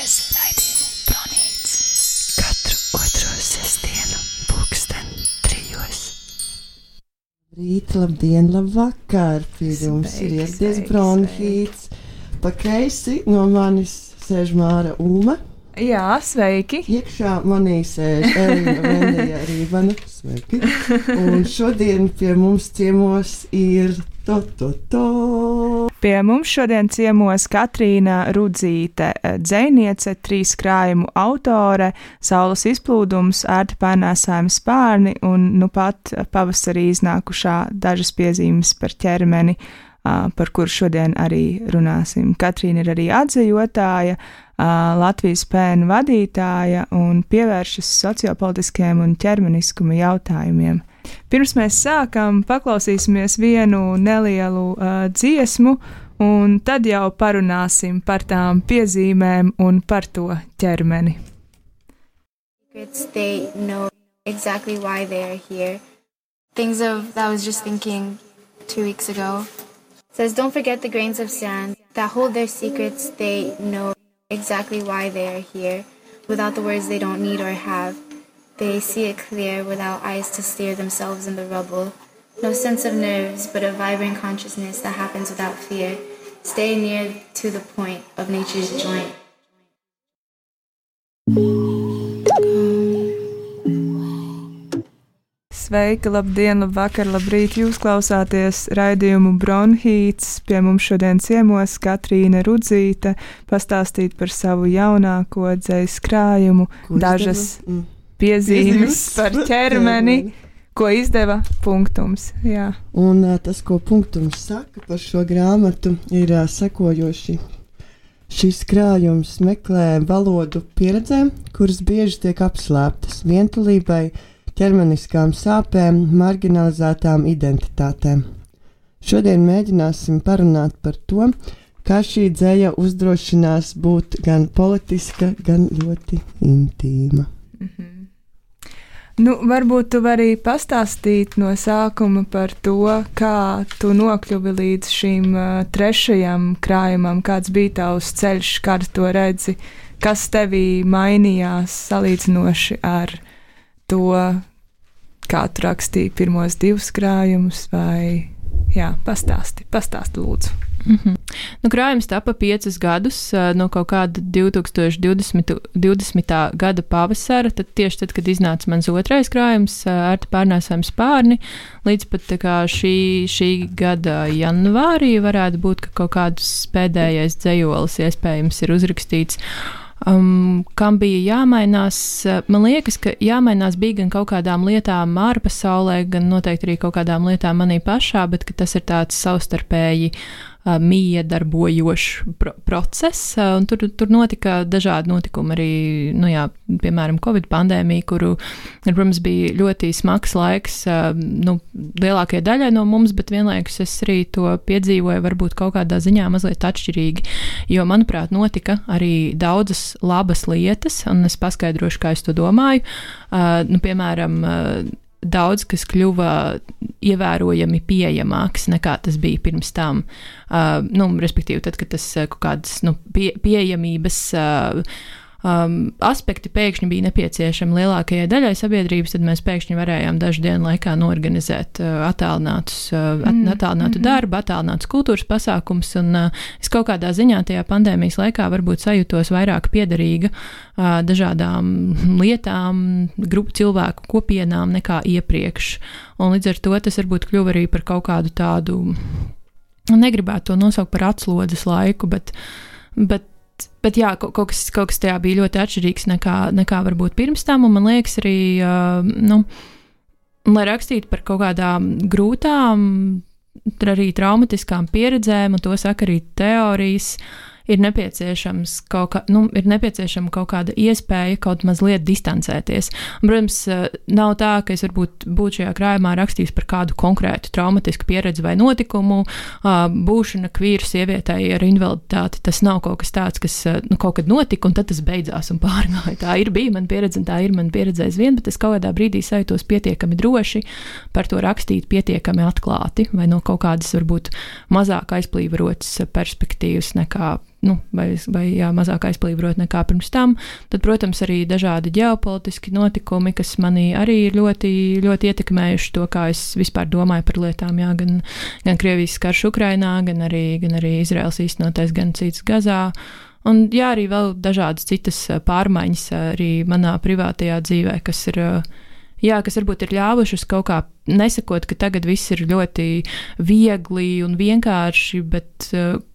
klausāties raidījumu Bronīts. Katru otro sestdienu, pulksten 3. Rīt, labdien, labvakar! Pie jums ir ieradies Bronhīts. Pa kreisi no manis sēž Māra Ulma. Jā, sveiki! Iekšā manī sēž Elīna Vendija Rībana. Sveiki! Un šodien pie mums ciemos ir Pie mums šodien ciemos Katrīna Rudzīte, dzejniece, 3 krājumu autore, Saules izplūdums, ērti pārnēsājumi spārni un nu pat pavasarī iznākušā dažas piezīmes par ķermeni, par kuru šodien arī runāsim. Katrīna ir arī atzejotāja, Latvijas pēnu vadītāja un pievēršas sociopolitiskiem un ķermeniskuma jautājumiem. Pirms mēs sākam, paklausīsimies vienu nelielu dziesmu, un tad jau parunāsim par tām piezīmēm un par to ķermeni. They know exactly why they are here. Things that I was just thinking 2 weeks ago. It says, don't forget the grains of sand that hold their secrets. They know exactly why they are here. Without the words they don't need or have. They see it clear without eyes to steer themselves in the rubble. No sense of nerves, but a vibrant consciousness that happens without fear. Stay near to the point of nature's joint. Sveika, labdien, labvakar, labrīt! Jūs klausāties raidījumu Bronhīts. Pie mums šodien ciemos Katrīna Rudzīte pastāstīt par savu jaunāko dzejas krājumu, dažas piezīmes par ķermeni, ko izdeva Punktums. Jā. Un tas, ko Punktums saka par šo grāmatu, ir sekojoši. Šis krājums meklē valodu pieredzēm, kuras bieži tiek apslēptas vientulībai, ķermeniskām sāpēm, marginalizētām identitātēm. Šodien mēģināsim parunāt par to, kā šī dzeja uzdrošinās būt gan politiska, gan ļoti intīma. Mhm. Nu, varbūt tu vari pastāstīt no sākuma par to, kā tu nokļuvi līdz šīm 3. krājumam, kāds bija tavs ceļš, kādu to redzi, kas tevī mainījās salīdzinoši ar to, kā tu rakstīji pirmos 2 krājumus, vai jā, pastāsti lūdzu. Mm-hmm. Nu, krājums tapa 5 gadus no kaut kāda 2020. gada pavasara, tieši tad, kad iznāca mans 2. krājums, ērti pārnēsājumi spārni, līdz pat tā kā šī gada janvārī varētu būt, ka kaut kāds pēdējais dzejolis iespējams ir uzrakstīts. Kam bija jāmainās, man liekas, ka jāmainās bija gan kaut kādām lietām ārpasaulē, gan noteikti arī kaut kādām lietām manī pašā, bet ka tas ir tāds savstarpēji miedarbojošs process, un tur notika dažādi notikumi arī, nu jā, piemēram, Covid pandēmija, kuru, protams, bija ļoti smags laiks, nu, lielākajai daļai no mums, bet vienlaikus es arī to piedzīvoju varbūt kaut kādā ziņā mazliet atšķirīgi, jo, manuprāt, notika arī daudzas labas lietas, un es paskaidrošu, kā es to domāju, nu, piemēram, daudz, kas kļuva ievērojami pieejamāks nekā tas bija pirms tam. Nu, respektīvi, tad, kad tas kaut kādas pieejamības aspekti pēkšņi bija nepieciešami lielākajai daļai sabiedrības, tad mēs pēkšņi varējām dažu dienu laikā norganizēt attālinātu darbu, attālinātus kultūras pasākums, un es kaut kādā ziņā tajā pandēmijas laikā varbūt sajūtos vairāk piederīga dažādām lietām, cilvēku kopienām nekā iepriekš. Un līdz ar to tas varbūt kļuva arī par kaut kādu tādu, negribētu to nosaukt par atslodzes laiku, bet jā, kaut kas tajā bija ļoti atšķirīgs nekā varbūt pirms tam, un man liekas arī, lai rakstītu par kaut kādām grūtām, arī traumatiskām pieredzēm, un to saka arī teorijas, ir nepieciešama kaut kāda iespēja kaut mazliet distancēties. Un, protams, nav tā, ka es varbūt būtu šajā krājumā rakstījis par kādu konkrētu traumatisku pieredzi vai notikumu. Būšana kvīru sievietei ar invaliditāti, tas nav kaut kas tāds, kas kaut kad notika, un tad tas beidzās un pārgāja. Tā bija mana pieredze, un tā ir mana pieredze aizvien, bet es kaut kādā brīdī sajūtos pietiekami droši par to rakstīt pietiekami atklāti, vai no kaut kādas varbūt mazāk aizplīvarotas perspektīvas nekā vai mazāk aizplīvrot nekā pirms tam. Tad, protams, arī dažādi ģeopolitiski notikumi, kas manī arī ir ļoti, ļoti ietekmējuši to, kā es vispār domāju par lietām, jā, gan Krievijas karš Ukrainā, gan arī Izraels īstenotais genocīds Gazā. Un jā, arī vēl dažādas citas pārmaiņas arī manā privātajā dzīvē, kas varbūt ir ļāvušas kaut kā nesakot, ka tagad viss ir ļoti viegli un vienkārši, bet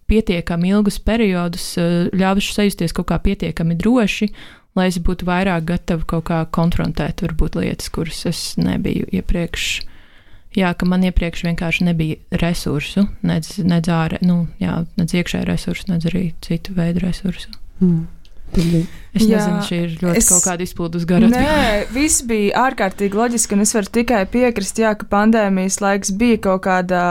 pietiekami ilgus periodus ļāvušas sajusties kaut kā pietiekami droši, lai es būtu vairāk gatava kaut kā konfrontēt varbūt lietas, kuras es nebiju iepriekš. Jā, ka man iepriekš vienkārši nebija resursu, nedz iekšēju resursu, nedz arī citu veidu resursu. Es nezinu, šī ir ļoti kaut kāda izpildus gara. Nē, viss bija ārkārtīgi loģiski, un es varu tikai piekrist, jā, ka pandēmijas laiks bija kaut kāda,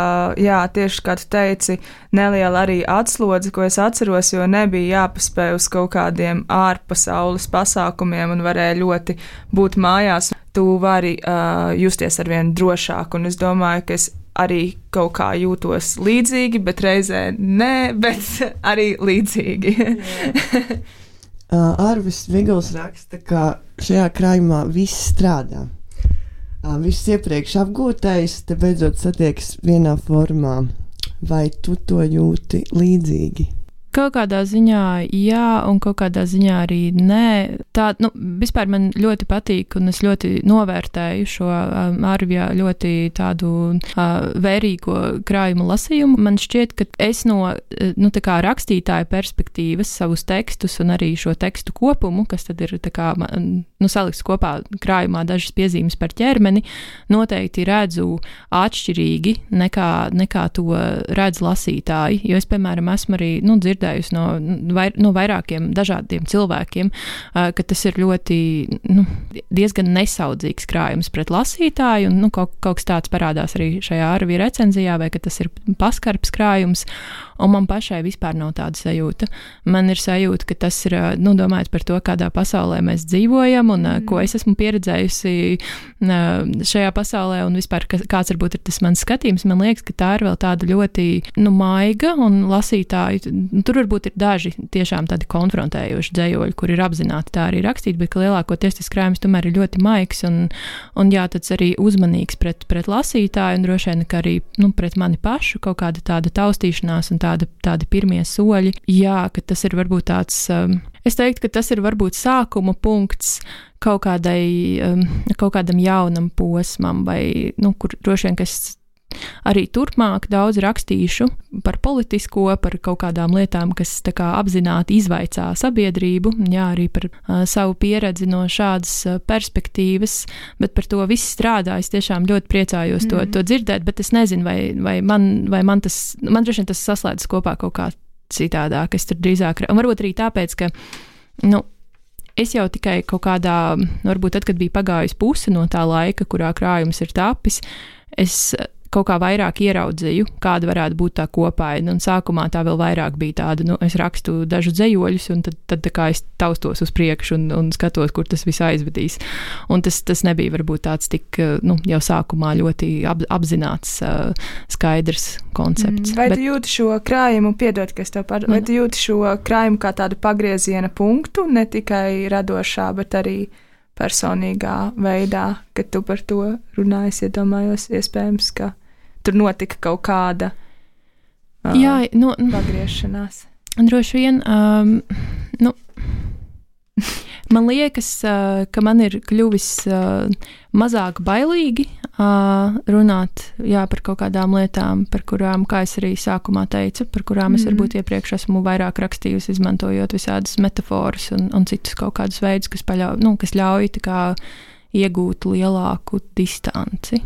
jā, tieši kā tu teici, neliela arī atslodze, ko es atceros, jo nebija jāpaspēj uz kaut kādiem ārpasaules pasākumiem un varēja ļoti būt mājās. Tu vari justies arvien drošāk, un es domāju, ka es arī kaut kā jūtos līdzīgi, bet reizē nē, bet arī līdzīgi. Arvis Vigls raksta, ka šajā krājumā viss strādā. Viss iepriekš apgūtais, te beidzot satiekas vienā formā. Vai tu to jūti līdzīgi? Kaut kādā ziņā jā, un kaut kādā ziņā arī nē. Tā, vispār man ļoti patīk, un es ļoti novērtēju šo Arvija ļoti tādu vērīgo krājumu lasījumu. Man šķiet, ka es no tā kā rakstītāja perspektīvas savus tekstus un arī šo tekstu kopumu, kas tad ir tā kā, salikts kopā krājumā dažas piezīmes par ķermeni, noteikti redzu atšķirīgi nekā to redz lasītāji, jo es, piemēram, esmu arī, dzirdējusi no vairākiem dažādiem cilvēkiem, ka tas ir ļoti, diezgan nesaudzīgs krājums pret lasītāju, un, kaut kas tāds parādās arī šajā Arvija recenzijā, vai ka tas ir paskarbs krājums, un man pašai vispār nav tāda sajūta. Man ir sajūta, ka tas ir, domājot par to, kādā pasaulē mēs dzīvojam, un ko es esmu pieredzējusi šajā pasaulē, un vispār kāds varbūt ir tas mans skatījums, man liekas, ka tā ir vēl tāda ļoti, maiga, un lasītāji, tur varbūt ir daži tiešām tādi konfrontējoši dzējoļi, kur ir apzināti tā arī rakstīt, bet ka lielākoties tas krājums tomēr ir ļoti maigs, un jā, tāds arī uzmanīgs pret lasītāju, un droši vien, ka arī, pret mani pašu kaut kāda tāda taustīšanās un tādi pirmie soļi. Jā, ka tas ir varbūt tāds, es teiktu, ka tas ir varbūt sākuma punkts kaut kādam jaunam posmam, vai, kur droši vien, ka es arī turpmāk daudz rakstīšu par politisko, par kaut kādām lietām, kas tā kā apzināti izvaicā sabiedrību, jā, arī par savu pieredzi no šādas perspektīvas, bet par to viss strādā. Es tiešām ļoti priecājos to dzirdēt, bet es nezinu, vai man droši vien tas saslēdzas kopā kaut kā citādāk. Es tur drīzāk, un varbūt arī tāpēc, ka, es jau tikai kaut kādā, varbūt tad, kad bija pagājusi puse no tā laika, kurā krājums ir tapis, es kaut kā vairāk ieraudzīju, kāda varētu būt tā kopāja, un sākumā tā vēl vairāk bija tāda, es rakstu dažu dzējoļus, un tad tā kā es taustos uz priekšu un skatos, kur tas viss aizvedīs. Un tas nebija varbūt tāds tik, jau sākumā ļoti apzināts, skaidrs koncepts. Vai tu jūti šo krājumu, piedod, ka es tev vai tu jūti šo krājumu kā tādu pagrieziena punktu, ne tikai radošā, bet arī personīgā veidā, kad tu par to runājies, iedomājos, iespējams, ka tur notika kaut kāda pagriešanās. Droši vien, man liekas, ka man ir kļuvis mazāk bailīgi runāt par kaut kādām lietām, par kurām, kā es arī sākumā teicu, par kurām es varbūt iepriekš esmu vairāk rakstījusi, izmantojot visādas metaforas un citus kaut kādus veidus, kas ļauj tā kā iegūt lielāku distanci.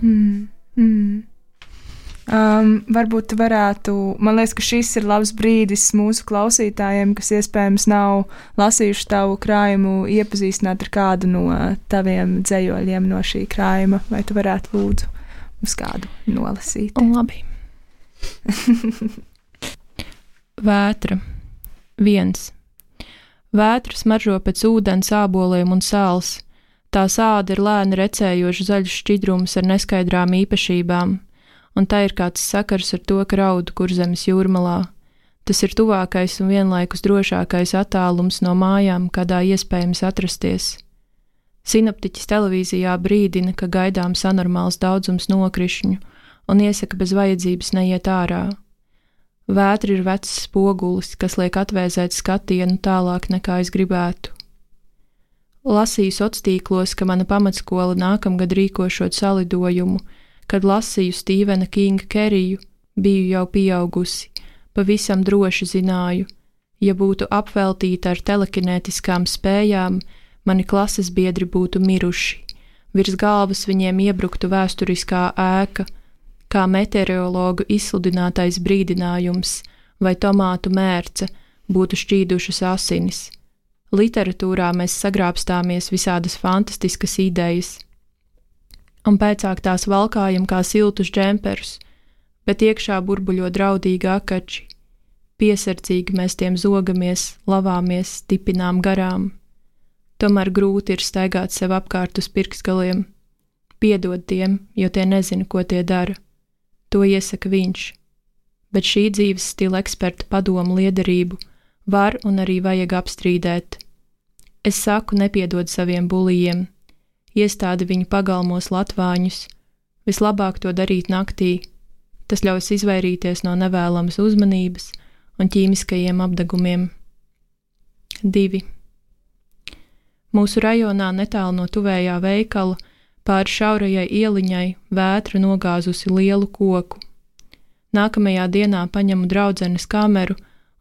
Varbūt varētu, man liekas, ka šis ir labs brīdis mūsu klausītājiem, kas iespējams nav lasījuši tavu krājumu, iepazīstināt ar kādu no taviem dzējoļiem no šī krājuma, vai tu varētu lūdzu uz kādu nolasīt? Labi. Vētra. 1. Vētra smaržo pēc ūdens, āboliem un sāls. Tā sāda ir lēni recējoša zaļš šķidrums ar neskaidrām īpašībām. Un tā ir kāds sakars ar to, ka raudu Kurzemes jūrmalā. Tas ir tuvākais un vienlaikus drošākais attālums no mājām, kādā iespējams atrasties. Sinoptiķis televīzijā brīdina, ka gaidāms anormāls daudzums nokrišņu un iesaka bez vajadzības neiet ārā. Vētra ir vecs spogulis, kas liek atvēzēt skatienu tālāk nekā es gribētu. Lasīju sociālos, ka mana pamatskola nākamgad rīkošot salidojumu, kad lasīju Stīvena Kinga Keriju, biju jau pieaugusi, pavisam droši zināju, ja būtu apveltīta ar telekinētiskām spējām, mani klases biedri būtu miruši, virs galvas viņiem iebruktu vēsturiskā ēka, kā meteorologu izsludinātais brīdinājums vai tomātu mērce būtu šķīdušas asinis. Literatūrā mēs sagrābstāmies visādas fantastiskas idejas, un pēcāk tās valkājam kā siltus džemperus, bet iekšā burbuļo draudīgi akači. Piesardzīgi mēs tiem zogamies, lavāmies, stipinām garām. Tomēr grūti ir staigāt sev apkārt uz pirkstgaliem. Piedod tiem, jo tie nezina, ko tie dara. To iesaka viņš. Bet šī dzīves stila eksperta padomu liederību var un arī vajag apstrīdēt. Es saku nepiedod saviem bulijiem, iestādi viņu pagalmos latvāņus, vislabāk to darīt naktī, tas ļaus izvairīties no nevēlamas uzmanības un ķīmiskajiem apdegumiem. 2. Mūsu rajonā netālu no tuvējā veikala pāri šaurajai ieliņai vētra nogāzusi lielu koku. Nākamajā dienā paņemu draudzenes kameru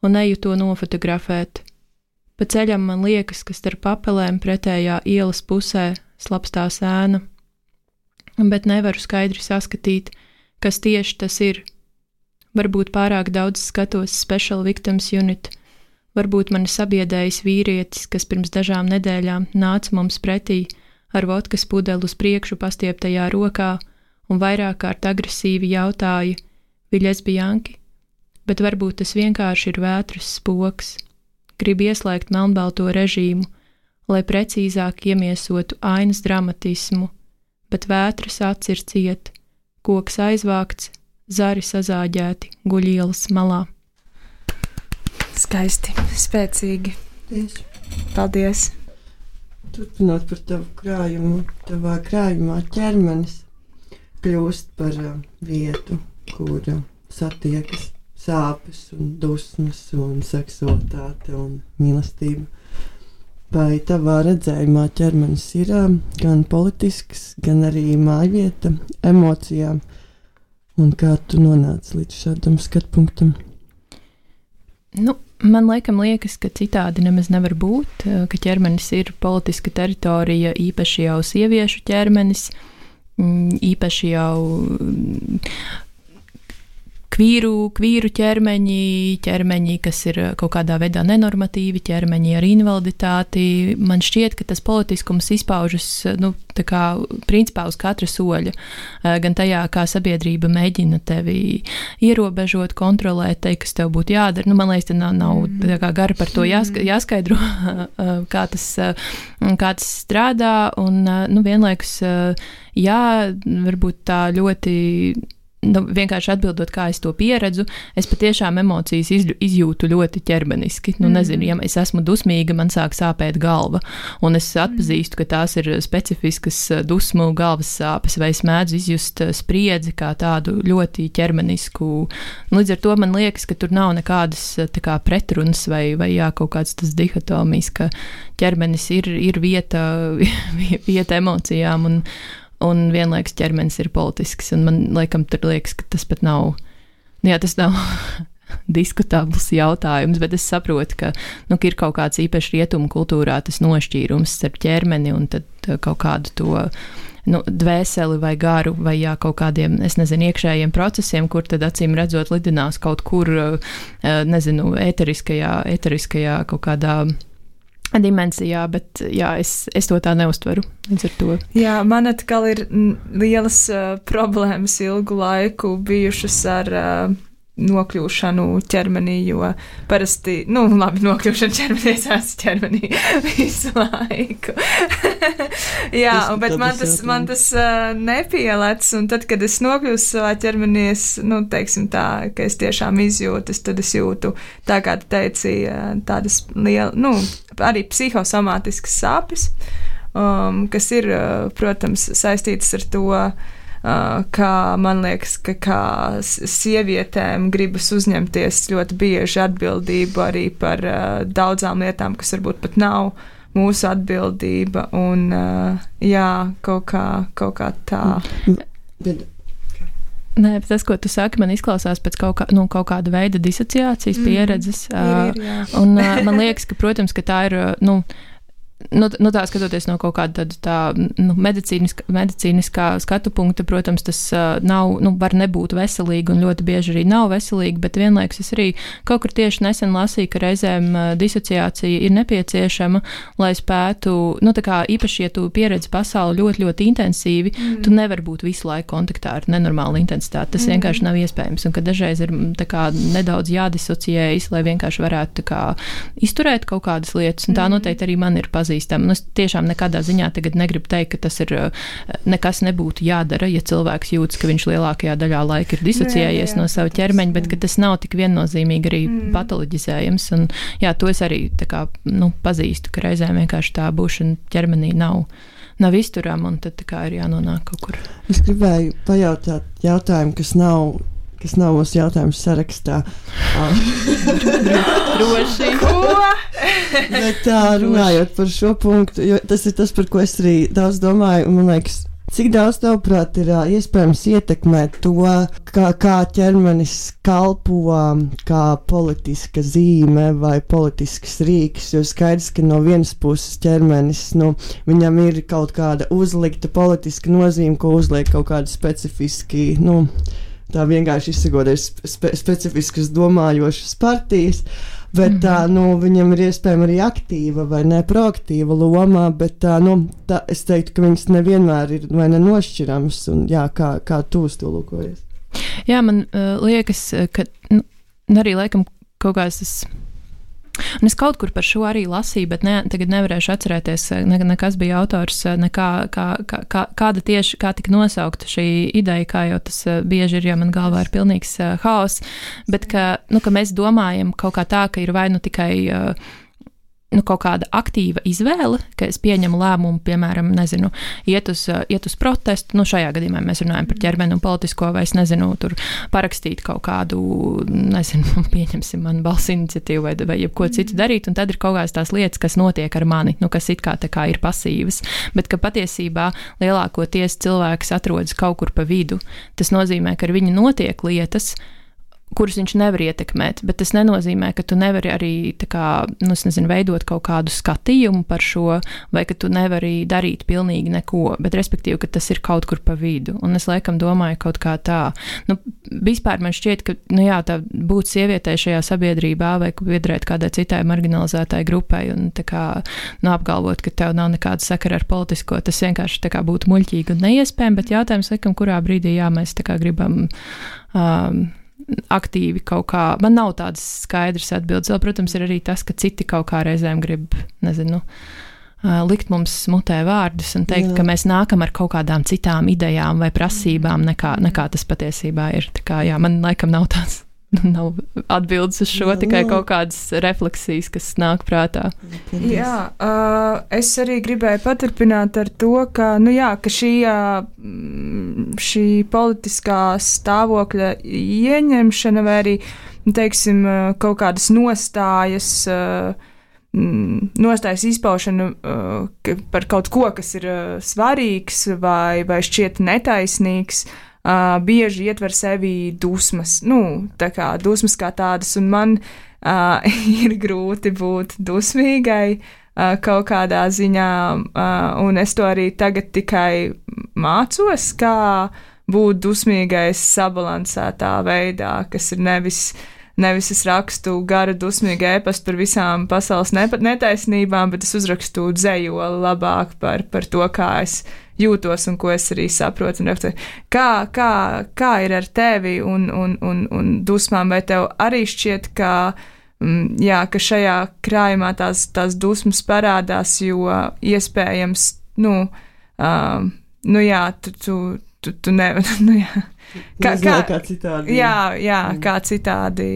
un eju to nofotografēt. Pa ceļam man liekas, ka starp papelēm pretējā ielas pusē slapstās ēna, bet nevaru skaidri saskatīt, kas tieši tas ir. Varbūt pārāk daudz skatos Special Victims Unit, varbūt mani sabiedējis vīrietis, kas pirms dažām nedēļām nāca mums pretī ar vodkas pudeli uz priekšu pastieptajā rokā un vairāk kārt agresīvi jautāja, vi lesbijanki, bet varbūt tas vienkārši ir vētras spoks. Grib ieslēgt melnbalto režīmu, lai precīzāk iemiesotu ainas dramatismu, bet vētras acis ir cieta, koks aizvākts, zari sazāģēti guļ ielas malā. Skaisti, spēcīgi. Tieši. Paldies! Turpinot par tavu krājumu, tavā krājumā ķermenis kļūst par vietu, kur satiekas sāpes un dusmas un seksualitāte un mīlestība. Vai tavā redzējumā ķermenis ir gan politisks, gan arī mājvieta emocijām? Un kā tu nonāci līdz šādam skatpunktam? Man liekas, ka citādi nemaz nevar būt, ka ķermenis ir politiska teritorija, īpaši jau sieviešu ķermenis, īpaši jau kvīru ķermeņi, kas ir kaut kādā veidā nenormatīvi, ķermeņi ar invaliditāti. Man šķiet, ka tas politiskums izpaužas, tā kā principā uz katra soļa, gan tajā, kā sabiedrība mēģina tevi ierobežot, kontrolēt, teikt, kas tev būtu jādara. Man liekas, te nav tā kā gari par to jāskaidro, kā tas strādā, un vienlaikus, varbūt tā ļoti vienkārši atbildot, kā es to pieredzu, es patiešām emocijas izjūtu ļoti ķermeniski. Nezinu, ja es esmu dusmīga, man sāk sāpēt galva, un es atpazīstu, ka tās ir specifiskas dusmu galvas sāpes, vai es mēdzu izjust spriedzi kā tādu ļoti ķermenisku. Līdz ar to man liekas, ka tur nav nekādas tā kā pretrunas vai kaut kāds tas dihotomijas, ka ķermenis ir vieta emocijām, un vienlaikus ķermenis ir politisks, un man laikam tur liekas, ka tas pat nav, tas nav diskutabls jautājums, bet es saprotu, ka ir kaut kāds īpaši rietumu kultūrā tas nošķīrums starp ķermeni un tad kaut kādu to dvēseli vai garu vai kaut kādiem, iekšējiem procesiem, kur tad acīm redzot lidinās kaut kur, eteriskajā kaut kādā dimensijā, bet es to tā neuztveru līdz ar to. Jā, man atkal ir lielas problēmas ilgu laiku bijušas ar nokļūšanu ķermenī, jo parasti, nokļūšana ķermenī, es esmu ķermenī visu laiku. Jā, bet man tas nepielec, un tad, kad es nokļūstu savā ķermenī, teiksim tā, ka es tiešām izjūtu, tad es jūtu, tā kā tu teici, tādas arī psihosomātiskas sāpes, kas ir, protams, saistītas ar to, kā man liekas, ka kā sievietēm gribas uzņemties ļoti bieži atbildību arī par daudzām lietām, kas varbūt pat nav mūsu atbildība, un kaut kā tā. Nē, bet tas, ko tu saki, man izklausās pēc kaut kāda veida disociācijas pieredzes. Ir, un man liekas, ka, protams, ka tā ir, tā skatoties no kaut kāda medicīniskā skatu punkta, protams, tas var nebūt veselīgi un ļoti bieži arī nav veselīgi, bet vienlaikus es arī kaut kur tieši nesen lasīju, ka reizēm disociācija ir nepieciešama, lai spētu, īpaši, ja tu pieredzi pasauli ļoti, ļoti intensīvi, tu nevari būt visu laiku kontaktā ar nenormālu intensitāti. Tas vienkārši nav iespējams, un ka dažreiz ir nedaudz jādisociējas, lai vienkārši varētu izturēt kaut kādas lietas, un tā noteikti arī man ir pazīstama. Es tiešām nekādā ziņā tagad negribu teikt, ka tas ir nekas nebūtu jādara, ja cilvēks jūtas, ka viņš lielākajā daļā laika ir disociējies no sava ķermeņa, bet ka tas nav tik viennozīmīgi arī patoloģizējams. Un, to es arī pazīstu, ka reizēm vienkārši tā būšana ķermenī nav izturama, un tad ir jānonāk kaut kur. Es gribēju pajautāt jautājumu, kas nav mūsu jautājums sarakstā. Droši. Bet runājot par šo punktu, jo tas ir tas, par ko es arī daudz domāju, un man liekas, cik daudz tavuprāt ir iespējams ietekmēt to, kā ķermenis kalpo kā politiska zīme vai politisks rīks, jo skaidrs, ka no vienas puses ķermenis, viņam ir kaut kāda uzlikta politiska nozīme, ko uzliek kaut kāda specifiski, tā vienkārši izsakoties specifiskas domājošas partijas, bet viņam ir iespējama arī aktīva vai ne proaktīva loma, bet es teiktu, ka viņas nevienmēr ir vai nenošķirams, un kā tu uz to lūkojies? Jā, man liekas, ka arī laikam kaut kāds tas. Un es kaut kur par šo arī lasīju, bet tagad nevarēšu atcerēties, nekas bija autors, kāda tieši, kā tika nosaukta šī ideja, kā jau tas bieži ir, jo man galvā ir pilnīgs haoss, bet ka mēs domājam kaut kā tā, ka ir vai tikai kaut kāda aktīva izvēle, ka es pieņemu lēmumu, piemēram, iet uz protestu, šajā gadījumā mēs runājam par ķermeni un politisko, vai es tur parakstīt kaut kādu, pieņemsim man balss iniciatīvu vai jebko citu darīt, un tad ir kaut kādas tās lietas, kas notiek ar mani, kas it kā tā kā ir pasīvas, bet ka patiesībā lielākoties cilvēks atrodas kaut kur pa vidu. Tas nozīmē, ka ar viņu notiek lietas, kuras viņš nevar ietekmēt, bet tas nenozīmē, ka tu nevari arī veidot kaut kādu skatījumu par šo, vai ka tu nevari darīt pilnīgi neko, bet respektīvi, ka tas ir kaut kur pa vidu. Un es laikam domāju kaut kā tā. Vispār man šķiet, ka tā būt sievietei šajā sabiedrībā vai piederēt kādai citai marginalizētai grupai un apgalvot, ka tev nav nekāda sakara ar politisko, tas vienkārši būtu muļķīgi un neiespējami, bet jautājums laikam, kurā brīdī mēs gribam aktīvi kaut kā, man nav tādas skaidras atbildes. Vēl, protams, ir arī tas, ka citi kaut kā reizēm grib, likt mums smutē vārdus un teikt, ka mēs nākam ar kaut kādām citām idejām vai prasībām, nekā tas patiesībā ir. Tā kā, man laikam nav tāds. Nav atbildes uz šo, tikai kaut kādas refleksijas, kas nāk prātā. Jā, es arī gribēju paturpināt ar to, ka, ka šī politiskā stāvokļa ieņemšana vai arī, teiksim, kaut kādas nostājas izpaušana par kaut ko, kas ir svarīgs vai šķiet netaisnīgs, bieži ietver sevi dusmas, dusmas kā tādas, un man ir grūti būt dusmīgai kaut kādā ziņā, un es to arī tagad tikai mācos, kā būt dusmīgai sabalansētā veidā, kas ir nevis nevis es rakstu garu dusmīgu ēpastu par visām pasaules netaisnībām, bet es uzrakstu dzejoli labāk par to, kā es jūtos un ko es arī saprotu. Kā ir ar tevi un dusmām, vai tev arī šķiet, ka šajā krājumā tās dusmas parādās, jo iespējams, tu nevari, kā citādi. Kā citādi.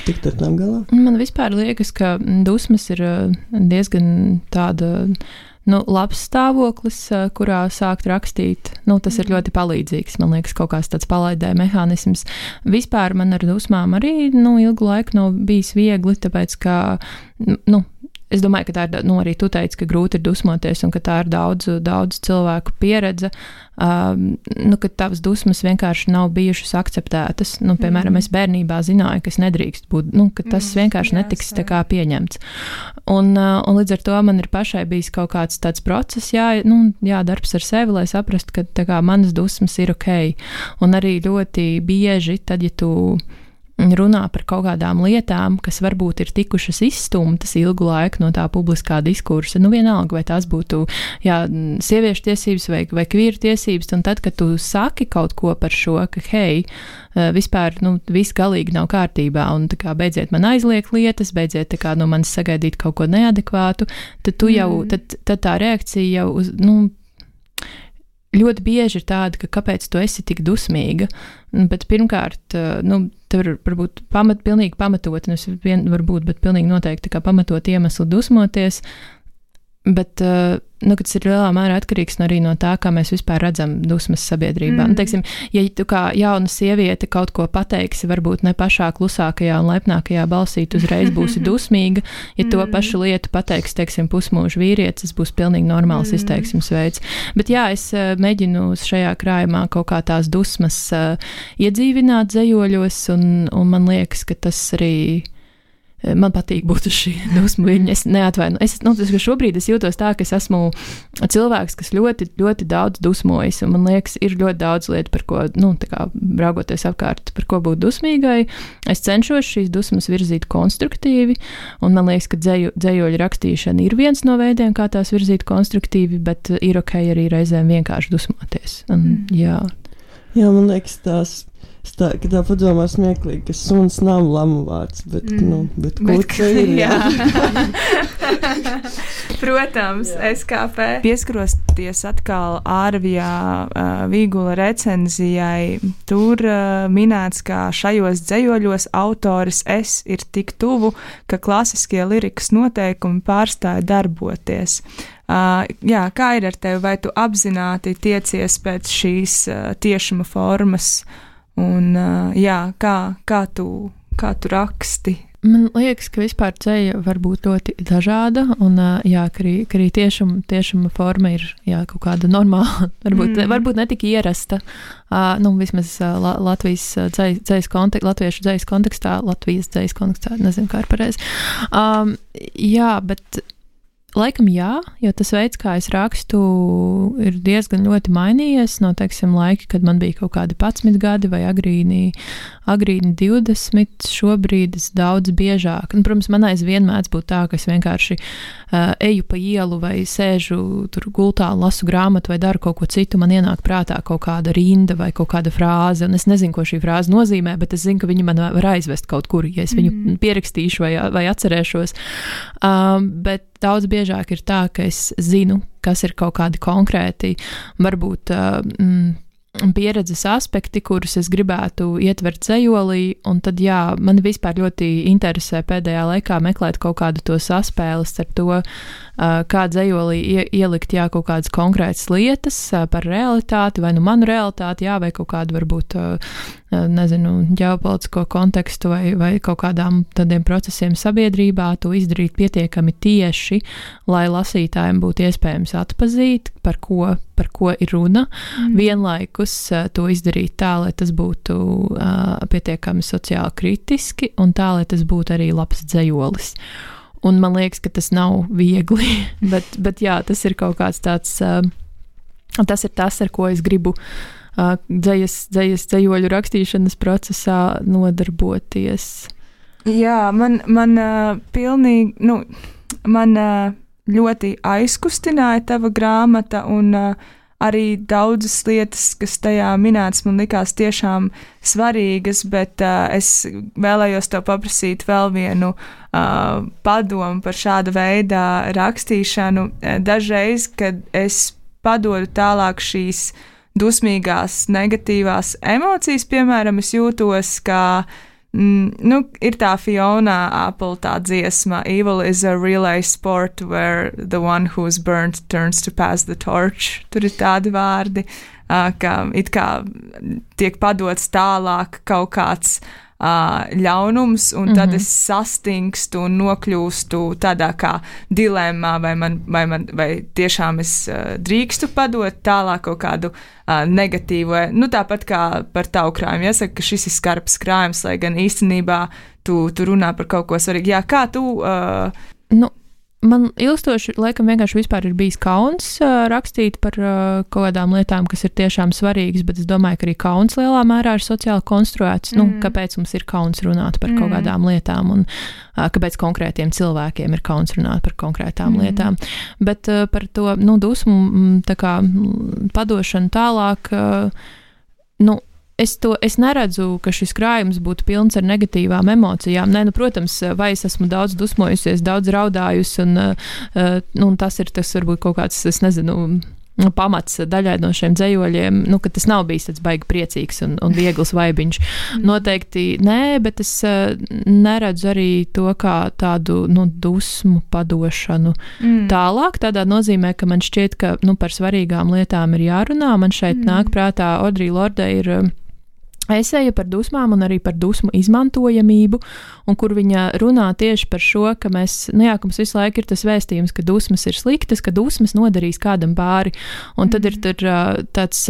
Tikt ar tām galā? Man vispār liekas, ka dusmas ir diezgan tāda, labs stāvoklis, kurā sākt rakstīt. Tas ir ļoti palīdzīgs. Man liekas, kaut kāds tāds palaidē mehānisms. Vispār man ar dusmām arī, ilgu laiku nav bijis viegli, tāpēc, ka, es domāju, ka tā ir, arī tu teici, ka grūti ir dusmoties un ka tā ir daudz cilvēku pieredze, ka tavas dusmas vienkārši nav bijušas akceptētas. Piemēram, es bērnībā zināju, ka es nedrīkst būt, ka tas vienkārši netiks tā kā pieņemts. Un līdz ar to man ir pašai bijis kaut kāds tāds process, darbs ar sevi, lai saprastu, ka tā kā manas dusmas ir ok. Un arī ļoti bieži, tad, ja tu runā par kaut kādām lietām, kas varbūt ir tikušas izstumtas ilgu laiku no tā publiskā diskursa, vienalga, vai tās būtu sieviešu tiesības vai kvīru tiesības, un tad, kad tu saki kaut ko par šo, ka hei, vispār, viss galīgi nav kārtībā, un tā kā beidziet man aizliegt lietas, beidziet tā kā no manis sagaidīt kaut ko neadekvātu, tad tu jau, tad tā reakcija jau uz, ļoti bieži ir tāda, ka kāpēc tu esi tik dusmīga, bet pirmkārt, tev var būt pilnīgi pamatot, bet pilnīgi noteikti kā pamatot iemeslu dusmoties, bet, ka tas ir lielā mērā atkarīgs arī no tā, kā mēs vispār redzam dusmas sabiedrībā. Teiksim, ja tu kā jauna sieviete kaut ko pateiksi, varbūt ne pašā klusākajā un lepnākajā balsī, tu uzreiz būsi dusmīga, ja to pašu lietu pateiks, teiksim, pusmūža vīrietis, tas būs pilnīgi normāls izteiksmes veids. Bet es mēģinu šajā krājumā kaut kā tās dusmas iedzīvināt zejoļos, un man liekas, ka tas arī man patīk būt uz šī dusmu viļņa. Es neatvainu. Šobrīd es jūtos tā, ka es esmu cilvēks, kas ļoti, ļoti daudz dusmojas, un man liekas, ir ļoti daudz lietu, par ko, tā kā braugoties apkārt, par ko būt dusmīgai. Es cenšos šīs dusmas virzīt konstruktīvi, un man liekas, ka dzejoļu rakstīšana ir viens no veidiem, kā tās virzīt konstruktīvi, bet ir ok arī reizēm vienkārši dusmoties. Jā, man liekas, ka tā padomā smieklīgi, ka suns nav lamu vārds, bet kurča ir, jā. Protams, SKP. Pieskaroties atkal Ārvijā Vīgula recenzijai, tur minēts, ka šajos dzejoļos autoris es ir tik tuvu, ka klasiskie lirikas noteikumi pārstāja darboties. Kā ir ar tevi, vai tu apzināti tiecies pēc šīs tiešuma formas? Un, kā tu raksti? Man liekas, ka vispār dzeja var būt ļoti dažāda, un ka arī tiešuma forma ir kaut kāda normāla, varbūt ne tik ierasta, vismaz latviešu dzejas kontekstā, nezinu, kā ir pareizi. Bet laikam jo tas veids, kā es rakstu, ir diezgan ļoti mainījies no, teiksim, laika, kad man bija kaut kādi 11 gadi vai agrīni 20, šobrīd es daudz biežāk. Un, protams, man aizvien mēdz būt tā, ka es vienkārši eju pa ielu vai sēžu tur gultā un lasu grāmatu vai daru kaut ko citu, man ienāk prātā kaut kāda rinda vai kaut kāda frāze, un es nezinu, ko šī frāze nozīmē, bet es zinu, ka viņa man var aizvest kaut kur, ja es viņu pierakstīšu vai atcerēšos. Bet daudz biežāk ir tā, ka es zinu, kas ir kaut kādi konkrēti, varbūt pieredzes aspekti, kurus es gribētu ietvert dzejolī, un tad, mani vispār ļoti interesē pēdējā laikā meklēt kaut kādu to saspēles ar to, kā dzejolī ielikt, kaut kādas konkrētas lietas par realitāti, vai manu realitāti, vai kaut kādu varbūt, ģeopolitisko kontekstu vai kaut kādām tādiem procesiem sabiedrībā, to izdarīt pietiekami tieši, lai lasītājiem būtu iespējams atpazīt, par ko ir runa, vienlaikus to izdarīt tā, lai tas būtu pietiekami sociāli kritiski, un tā, lai tas būtu arī labs dzejolis. Un man liekas, ka tas nav viegli, bet tas ir kaut kāds tāds, tas ir tas, ar ko es gribu dzejoļu rakstīšanas procesā nodarboties. Jā, man pilnīgi, man ļoti aizkustināja tava grāmata un arī daudzas lietas, kas tajā minētas, man likās tiešām svarīgas, bet es vēlējos tev paprasīt vēl vienu padomu par šāda veida rakstīšanu. Dažreiz, kad es padodu tālāk šīs dusmīgās, negatīvās emocijas, piemēram, es jūtos, kā ir tā Fiona Apple tā dziesma Evil is a relay sport where the one who's burnt turns to pass the torch. Tur ir tādi vārdi, ka it kā tiek padots tālāk kaut kāds ļaunums, un tad es sastingstu un nokļūstu tādā kā dilemmā, vai tiešām es drīkstu padot tālāk kaut kādu negatīvu, tāpat kā par tavu krājumu. Jāsaka, ka šis ir skarbs krājums, lai gan īstenībā tu runā par kaut ko svarīgu. Jā, kā tu... Man ilgstoši, laikam, vienkārši vispār ir bijis kauns rakstīt par kaut kādām lietām, kas ir tiešām svarīgas, bet es domāju, ka arī kauns lielā mērā ir sociāli konstruēts. Kāpēc mums ir kauns runāt par kaut kādām lietām un kāpēc konkrētiem cilvēkiem ir kauns runāt par konkrētām lietām. Bet par to, dusmu, tā kā padošanu tālāk, Es neredzu, ka šis krājums būtu pilns ar negatīvām emocijām. Nē, protams, vai es esmu daudz dusmojusies, daudz raudājusi, un tas ir varbūt kaut kāds, es nezinu, pamats daļai no šiem dzejoļiem, ka tas nav bijis tāds baigi priecīgs un viegls vaibiņš. Noteikti nē, bet es neredzu arī to kā tādu, dusmu padošanu tālāk, tādā nozīmē, ka man šķiet, ka, par svarīgām lietām ir jārunā. Man šeit nāk prātā Audrey Lorde ir eseja par dusmām un arī par dusmu izmantojamību, un kur viņa runā tieši par šo, ka mēs, ka mums visu laiku ir tas vēstījums, ka dusmas ir sliktas, ka dusmas nodarīs kādam pāri, un tad ir tāds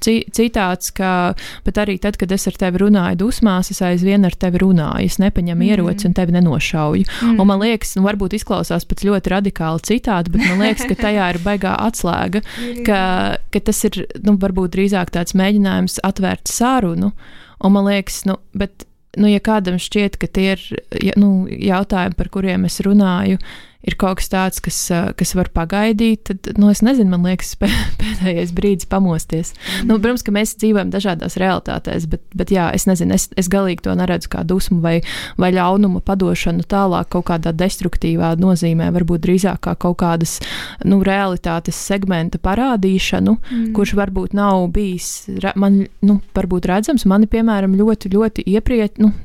citāts, ka, bet arī tad, kad es ar tevi runāju dusmās, es aizvien ar tevi runāju, es nepaņemu ieroci un tevi nenošauju. Un man liekas, varbūt izklausās pēc ļoti radikāli citāti, bet man liekas, ka tajā ir baigā atslēga, ka tas ir, varbūt drīzāk tāds mēģinājums atvērt sarunu. Un man liekas, ja kādam šķiet, ka tie ir jautājumi, par kuriem es runāju, ir kaut kas tāds, kas var pagaidīt, tad, es nezinu, man liekas, pēdējais brīdis pamosties. Protams, ka mēs dzīvojam dažādās realitātēs, bet jā, es nezinu, es galīgi to neredzu kā dusmu vai ļaunuma padošanu tālāk kaut kādā destruktīvā nozīmē, varbūt drīzāk kā kaut kādas, realitātes segmenta parādīšanu, kurš varbūt nav bijis, varbūt redzams. Mani, piemēram, ļoti, ļoti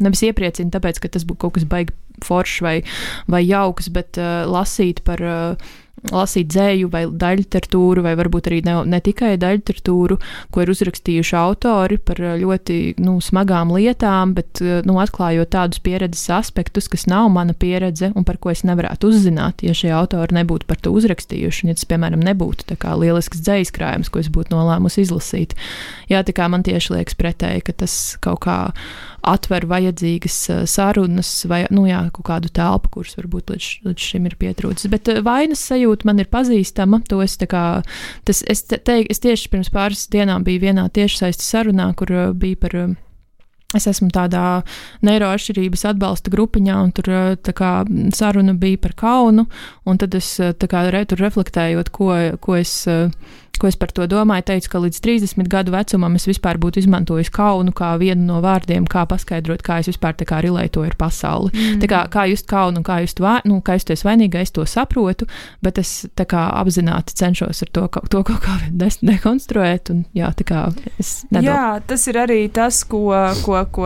nevis iepriecina, tāpēc, ka tas būtu kaut kas baigi foršs vai jauks, bet lasīt dzēju vai daļliteratūru, vai varbūt arī ne tikai daļliteratūru, ko ir uzrakstījuši autori par ļoti smagām lietām, bet atklājot tādus pieredzes aspektus, kas nav mana pieredze un par ko es nevarētu uzzināt, ja šie autori nebūtu par to uzrakstījuši, un ja tas, piemēram, nebūtu tā kā lielisks dzējas krājums, ko es būtu nolēmusi izlasīt. Jā, tā kā man tieši liekas pretēji, ka tas kaut kā atver vajadzīgas sarunas vai, kaut kādu telpu, kuras varbūt līdz šim ir pietrūcis. Bet vainas sajūta man ir pazīstama. To es tieši pirms pāris dienām biju vienā tiešsaistes sarunā, kur bija par... Es esmu tādā neiroatšķirības atbalsta grupiņā, un tur tā kā saruna bija par kaunu, un tad es tā kā tur reflektējot, ko es par to domāju, teicu, ka līdz 30 gadu vecumam es vispār būtu izmantojis kaunu kā vienu no vārdiem, kā paskaidrot, kā es vispār tā kā rilētoju ar pasauli. Tā kā just kaunu un kā justies vainīga, es to saprotu, bet es tā kā apzināti cenšos ar to kaut kā dekonstruēt, un jā, tā kā es nedomāju. Jā, tas ir arī tas, ko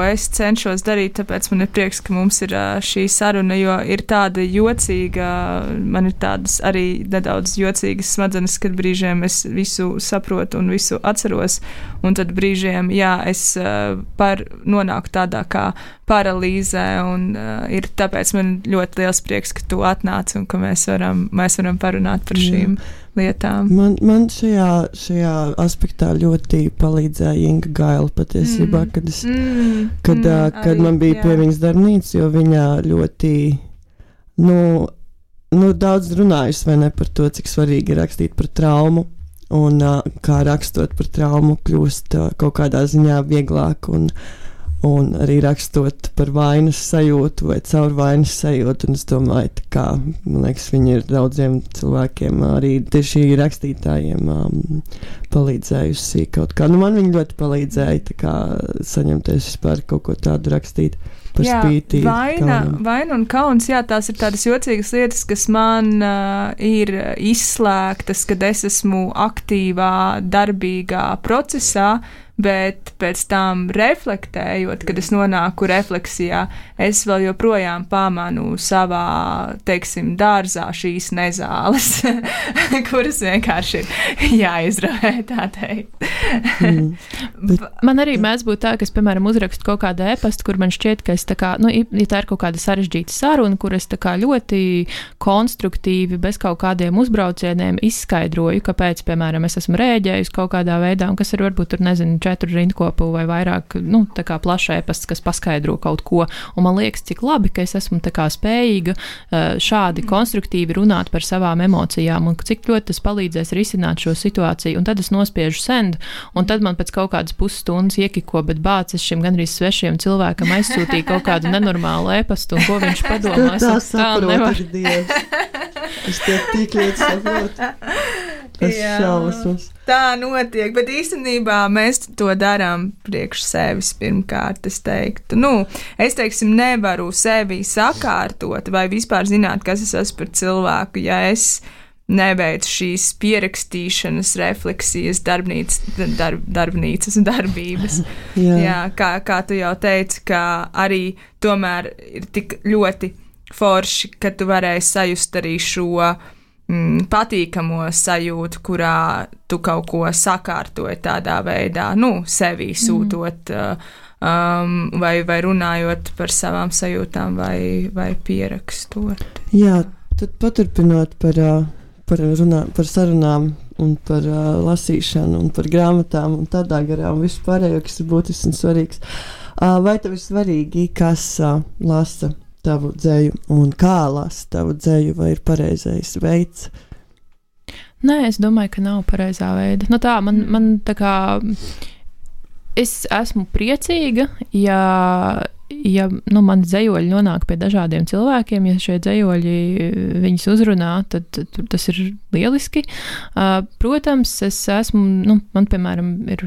es cenšos darīt, tāpēc man ir prieks, ka mums ir šī saruna, jo ir tāda jocīga, man ir tādas arī nedaudz jocīgas smadzenes, kad brīžiem es visu saprotu un visu atceros, un tad brīžiem, es nonāku tādā kā paralīzē, un ir tāpēc man ļoti liels prieks, ka tu atnāc un ka mēs varam parunāt par šīm lietām. Man šajā aspektā ļoti palīdzēja Inga Gaila patiesībā, kad man bija pie viņas darbnīca, jo viņa ļoti, daudz runājusi, vai ne, par to, cik svarīgi ir rakstīt par traumu. Un kā rakstot par traumu kļūst kaut kādā ziņā vieglāk un Un arī rakstot par vainas sajūtu vai caur vainas sajūtu, un es domāju, kā, man liekas, viņi ir daudziem cilvēkiem, arī tieši rakstītājiem palīdzējusi kaut kā. Nu, man viņi ļoti palīdzēja, tā kā saņemties vispār kaut ko tādu rakstīt. Jā, vaina un kauns, jā, tās ir tādas jocīgas lietas, kas man ir izslēgtas, kad es esmu aktīvā, darbīgā procesā, bet pēc tam reflektējot, kad es nonāku refleksijā, es vēl joprojām pamanu savā, teiksim, dārzā šīs nezāles, kuras vienkārši ir jāizravē, tā teikt. Man arī mēdz būt tā, ka es, piemēram, uzrakstu kaut kādu e-pastu, kur man šķiet, ka es tā kā, ja tā ir kaut kāda sarežģīta saruna, kur es tā kā ļoti konstruktīvi, bez kaut kādiem uzbraucieniem izskaidroju, kāpēc, piemēram, es esmu rēģējusi kaut kādā veidā, un kas ir varbūt tur, nezinu, 4 rindkopu vai vairāk, tā kā plašs e-pasts, kas paskaidro kaut ko, un man liekas, cik labi, ka es esmu tā kā spējīga šādi konstruktīvi runāt par savām emocijām, un cik ļoti tas palīdzēs risināt šo situāciju, un tad es nospiežu send, un tad man pēc kaut kādas pusstundas iekiko, bet bāc, es šim gandrīz svešiem cilvēkam aizsūtīju kaut kādu nenormālu e-pastu, un ko viņš padomā. Tā saprotu, Dievs. Es tev tik ļoti saprotu. Tā notiek, bet īstenībā mēs to darām priekš sevis pirmkārt, es teiktu. Es teiksim, nevaru sevi sakārtot vai vispār zināt, kas es esmu par cilvēku, ja es neveicu šīs pierakstīšanas, refleksijas, darbnīcas darbības. Jā, kā tu jau teici, ka arī tomēr ir tik ļoti forši, ka tu varēji sajust arī šo patīkamo sajūtu, kurā tu kaut ko sakārtoji tādā veidā, sevī sūtot vai runājot par savām sajūtām vai pierakstot. Jā, tad paturpinot par sarunām un par lasīšanu un par grāmatām un tādā garā un visu pārējo, kas ir būtisks un svarīgs. Vai tev ir svarīgi, kas lasa tavu dzeju un kā lasa tavu dzeju, vai ir pareizais veids? Nē, es domāju, ka nav pareizā veida. Man tā kā es esmu priecīga, ja mani dzejoļi nonāk pie dažādiem cilvēkiem, ja šie dzejoļi viņus uzrunā, tad tas ir lieliski. Protams, es esmu, man, piemēram, ir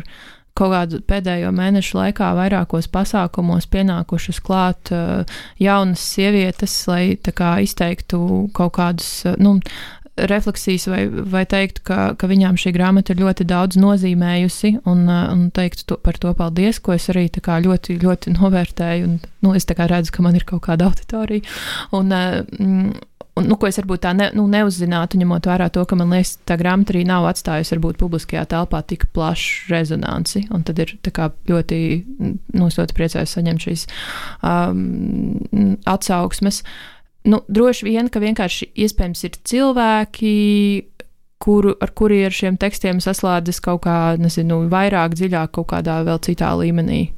kaut kādu pēdējo mēnešu laikā vairākos pasākumos pienākušas klāt jaunas sievietes, lai tā kā izteiktu kaut kādus, refleksijas vai teikt, ka viņām šī grāmata ir ļoti daudz nozīmējusi un teikt par to paldies, ko es arī tā kā ļoti, ļoti novērtēju un es tā kā redzu, ka man ir kaut kāda auditorija un ko es varbūt tā neuzzinātu, ņemot vērā to, ka man liekas, tā grāmata arī nav atstājusi varbūt publiskajā telpā tik plašu rezonanci, un tad ir tā kā ļoti, es ļoti priecājos saņemt šīs atsauksmes. Droši vien, ka vienkārši iespējams ir cilvēki, ar kuri ar šiem tekstiem saslēdzas kaut kā, vairāk dziļāk kaut kādā vēl citā līmenī.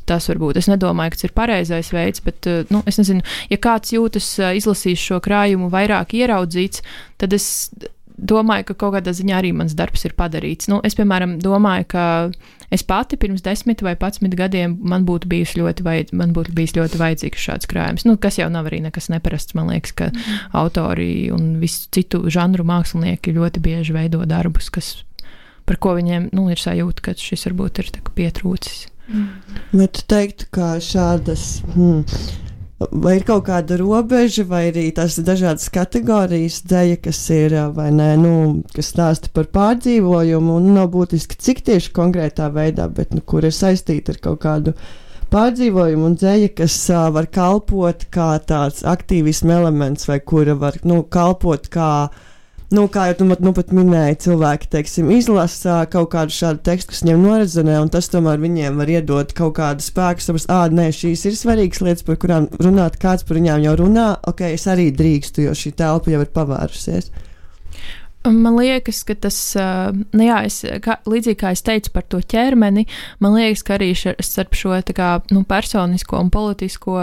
Tas varbūt. Es nedomāju, ka tas ir pareizais veids, bet, es nezinu, ja kāds jūtas izlasīs šo krājumu vairāk ieraudzīts, tad es domāju, ka kaut kādā ziņā arī mans darbs ir padarīts. Es, piemēram, domāju, ka es pati pirms 10 vai 11 gadiem man būtu bijis ļoti vajadzīgs šāds krājums. Kas jau nav arī nekas neparasts, man liekas, ka autori un visu citu žanru mākslinieki ļoti bieži veido darbus, par ko viņiem, ir sajūta, ka šis varbūt ir tā kā pietrūcis. Vai tu teiktu, ka šādas, vai ir kaut kāda robeža, vai arī tās dažādas kategorijas dzeja, kas ir, vai nē, kas stāsta par pārdzīvojumu, un nav būtiski, cik tieši konkrētā veidā, bet, kur ir saistīta ar kaut kādu pārdzīvojumu, un dzeja, kas var kalpot kā tāds aktīvisma elements, vai kura var, kalpot kā, kā jau pat minēja, cilvēki, teiksim, izlasa kaut kādu šādu tekstu, kas viņiem norezonē, un tas tomēr viņiem var iedot kaut kādu spēku, saprast, nē, šīs ir svarīgas lietas, par kurām runāt, kāds par viņām jau runā, es arī drīkstu, jo šī telpa jau ir pavērusies. Man liekas, ka tas, līdzīgi kā es teicu par to ķermeni, man liekas, ka arī starp šo tā kā, personisko un politisko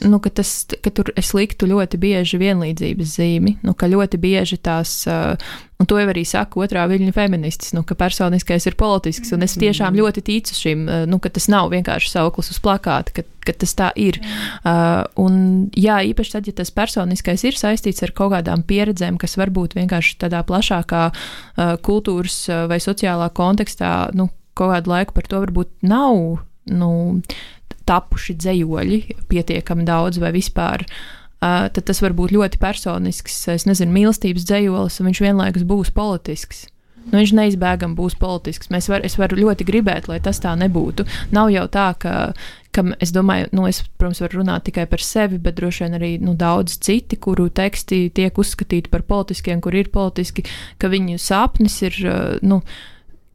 ka tur es liktu ļoti bieži vienlīdzības zīmi, ka ļoti bieži tās, un to jau arī saka otrā viļņa feministis, ka personiskais ir politisks, un es tiešām ļoti ticu šim, ka tas nav vienkārši sauklis uz plakāta, ka tas tā ir. Un jā, īpaši tad, ja tas personiskais ir saistīts ar kaut kādām pieredzēm, kas varbūt vienkārši tādā plašākā kultūras vai sociālā kontekstā, kaut kādu laiku par to varbūt nav, tapuši dzejoļi pietiekami daudz vai vispār, tad tas var būt ļoti personisks, es nezinu, mīlestības dzejolis, un viņš vienlaikus būs politisks. Viņš neizbēgami būs politisks. Es varu ļoti gribēt, lai tas tā nebūtu. Nav jau tā, ka es domāju, es, protams, varu runāt tikai par sevi, bet droši vien arī daudz citi, kuru teksti tiek uzskatīti par politiskiem, kur ir politiski, ka viņu sapnis ir,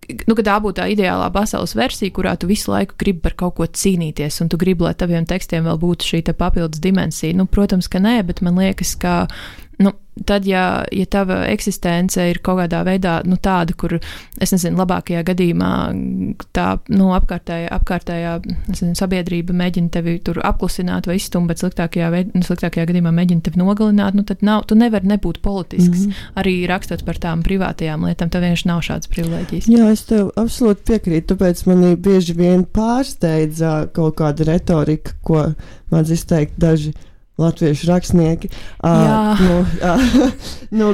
ka tā būtu tā ideālā pasaules versija, kurā tu visu laiku gribi par kaut ko cīnīties, un tu gribi, lai taviem tekstiem vēl būtu šī papildus dimensija. Protams, ka nē, bet man liekas, ka tad, ja tava eksistence ir kaut kādā veidā tāda, kur, es nezinu, labākajā gadījumā tā apkārtējā sabiedrība mēģina tevi tur apklusināt vai izstumt, bet sliktākajā gadījumā mēģina tevi nogalināt, tad tu nevari nebūt politisks. Arī rakstot par tām privātajām lietām, tev vienkārši nav šādas privilēģijas. Jā, es tev absolūti piekrītu, tāpēc manī bieži vien pārsteidza kaut kāda retorika, ko mēdz izteikt daži latviešu rakstnieki,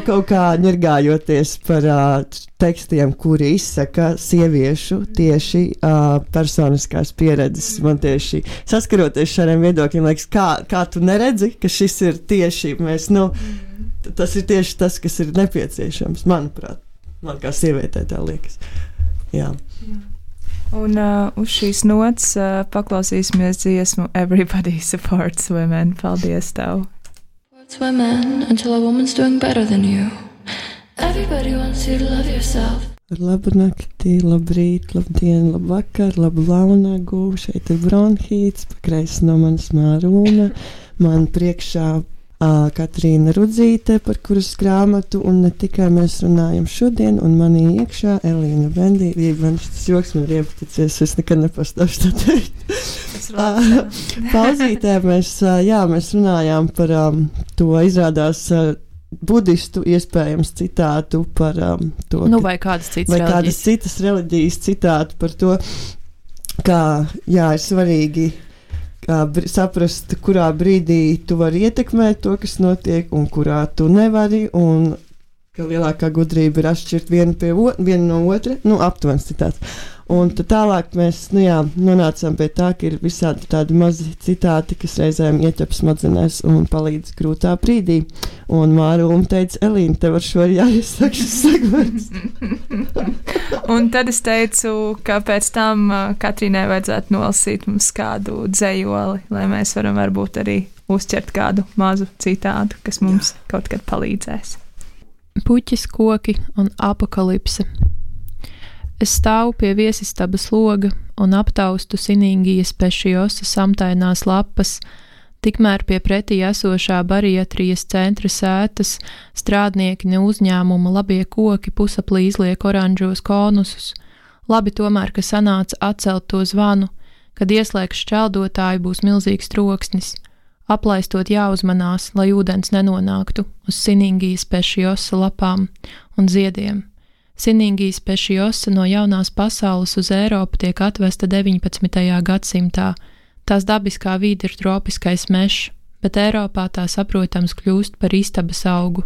kaut kā ņirgājoties par tekstiem, kuri izsaka sieviešu tieši personiskās pieredzes. Man tieši saskaroties šādiem viedokļiem, liekas, kā tu neredzi, ka šis ir tieši tas ir tieši tas, kas ir nepieciešams, manuprāt. Man kā sievietē tā liekas. Jā. Un uz šīs nots paklausīsimies dziesmu Everybody Supports Women. Paldies tev! Supports women until a woman's doing better than you. Everybody wants you to love yourself. Labu nakti, labrīt, labdien, labvakar, labu launagu. Šeit ir Bronhīts, pakreis no manas Mārūna. Man priekšā Katrīna Rudzīte, par kuras grāmatu, un ne tikai mēs runājam šodien, un manī iekšā Elīna Vendīva. Man šis joks man ir iepaticies, es nekad nepastāšu tā teikt. Pauzītē mēs runājām par to, izrādās budistu iespējams citātu par to, vai kādas citas reliģijas citātu par to, kā, ir svarīgi saprast, kurā brīdī tu vari ietekmēt to, kas notiek, un kurā tu nevari, un ka lielākā gudrība ir atšķirt vienu no otra, aptuvens citāts. Un tad tālāk mēs, nonācām pie tā, ka ir visādi tādi mazi citāti, kas reizēm ieķep smadzenēs un palīdz grūtā brīdī. Un Mārūma teica, Elīna, tev ar šo jāiesaka šis segments. Un tad es teicu, ka pēc tam Katrīnai vajadzētu nolasīt mums kādu dzejoli, lai mēs varam varbūt arī uzķert kādu mazu citātu, kas mums kaut kad palīdzēs. Puķis, koki un apokalipse. Es stāvu pie viesistabas loga un aptaustu Siningijas Pešiosa samtainās lapas, tikmēr pie pretī esošā bariatrijas centra sētas strādnieki ne uzņēmuma labie koki pusaplī izliek oranžos konusus. Labi tomēr, ka sanāca atcelt to zvanu, kad ieslēgs šķeldotāju būs milzīgs troksnis. Aplaistot jāuzmanās, lai ūdens nenonāktu uz Siningijas Pešiosa lapām un ziediem. Siningijas Pešiosa no jaunās pasaules uz Eiropu tiek atvesta 19. gadsimtā. Tās dabiskā vide ir tropiskais mežs, bet Eiropā tā saprotams kļūst par istabas augu.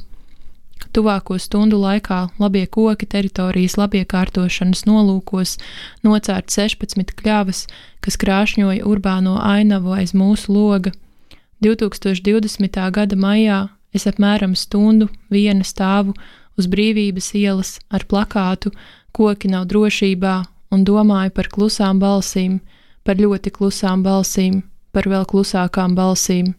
Tuvāko stundu laikā labie koki teritorijas labiekārtošanas nolūkos nocērt 16 kļavas, kas krāšņoja urbāno ainavu aiz mūsu loga. 2020. gada maijā es apmēram stundu viena stāvu uz Brīvības ielas ar plakātu Koki nav drošībā un domāju par klusām balsīm, par ļoti klusām balsīm, par vēl klusākām balsīm.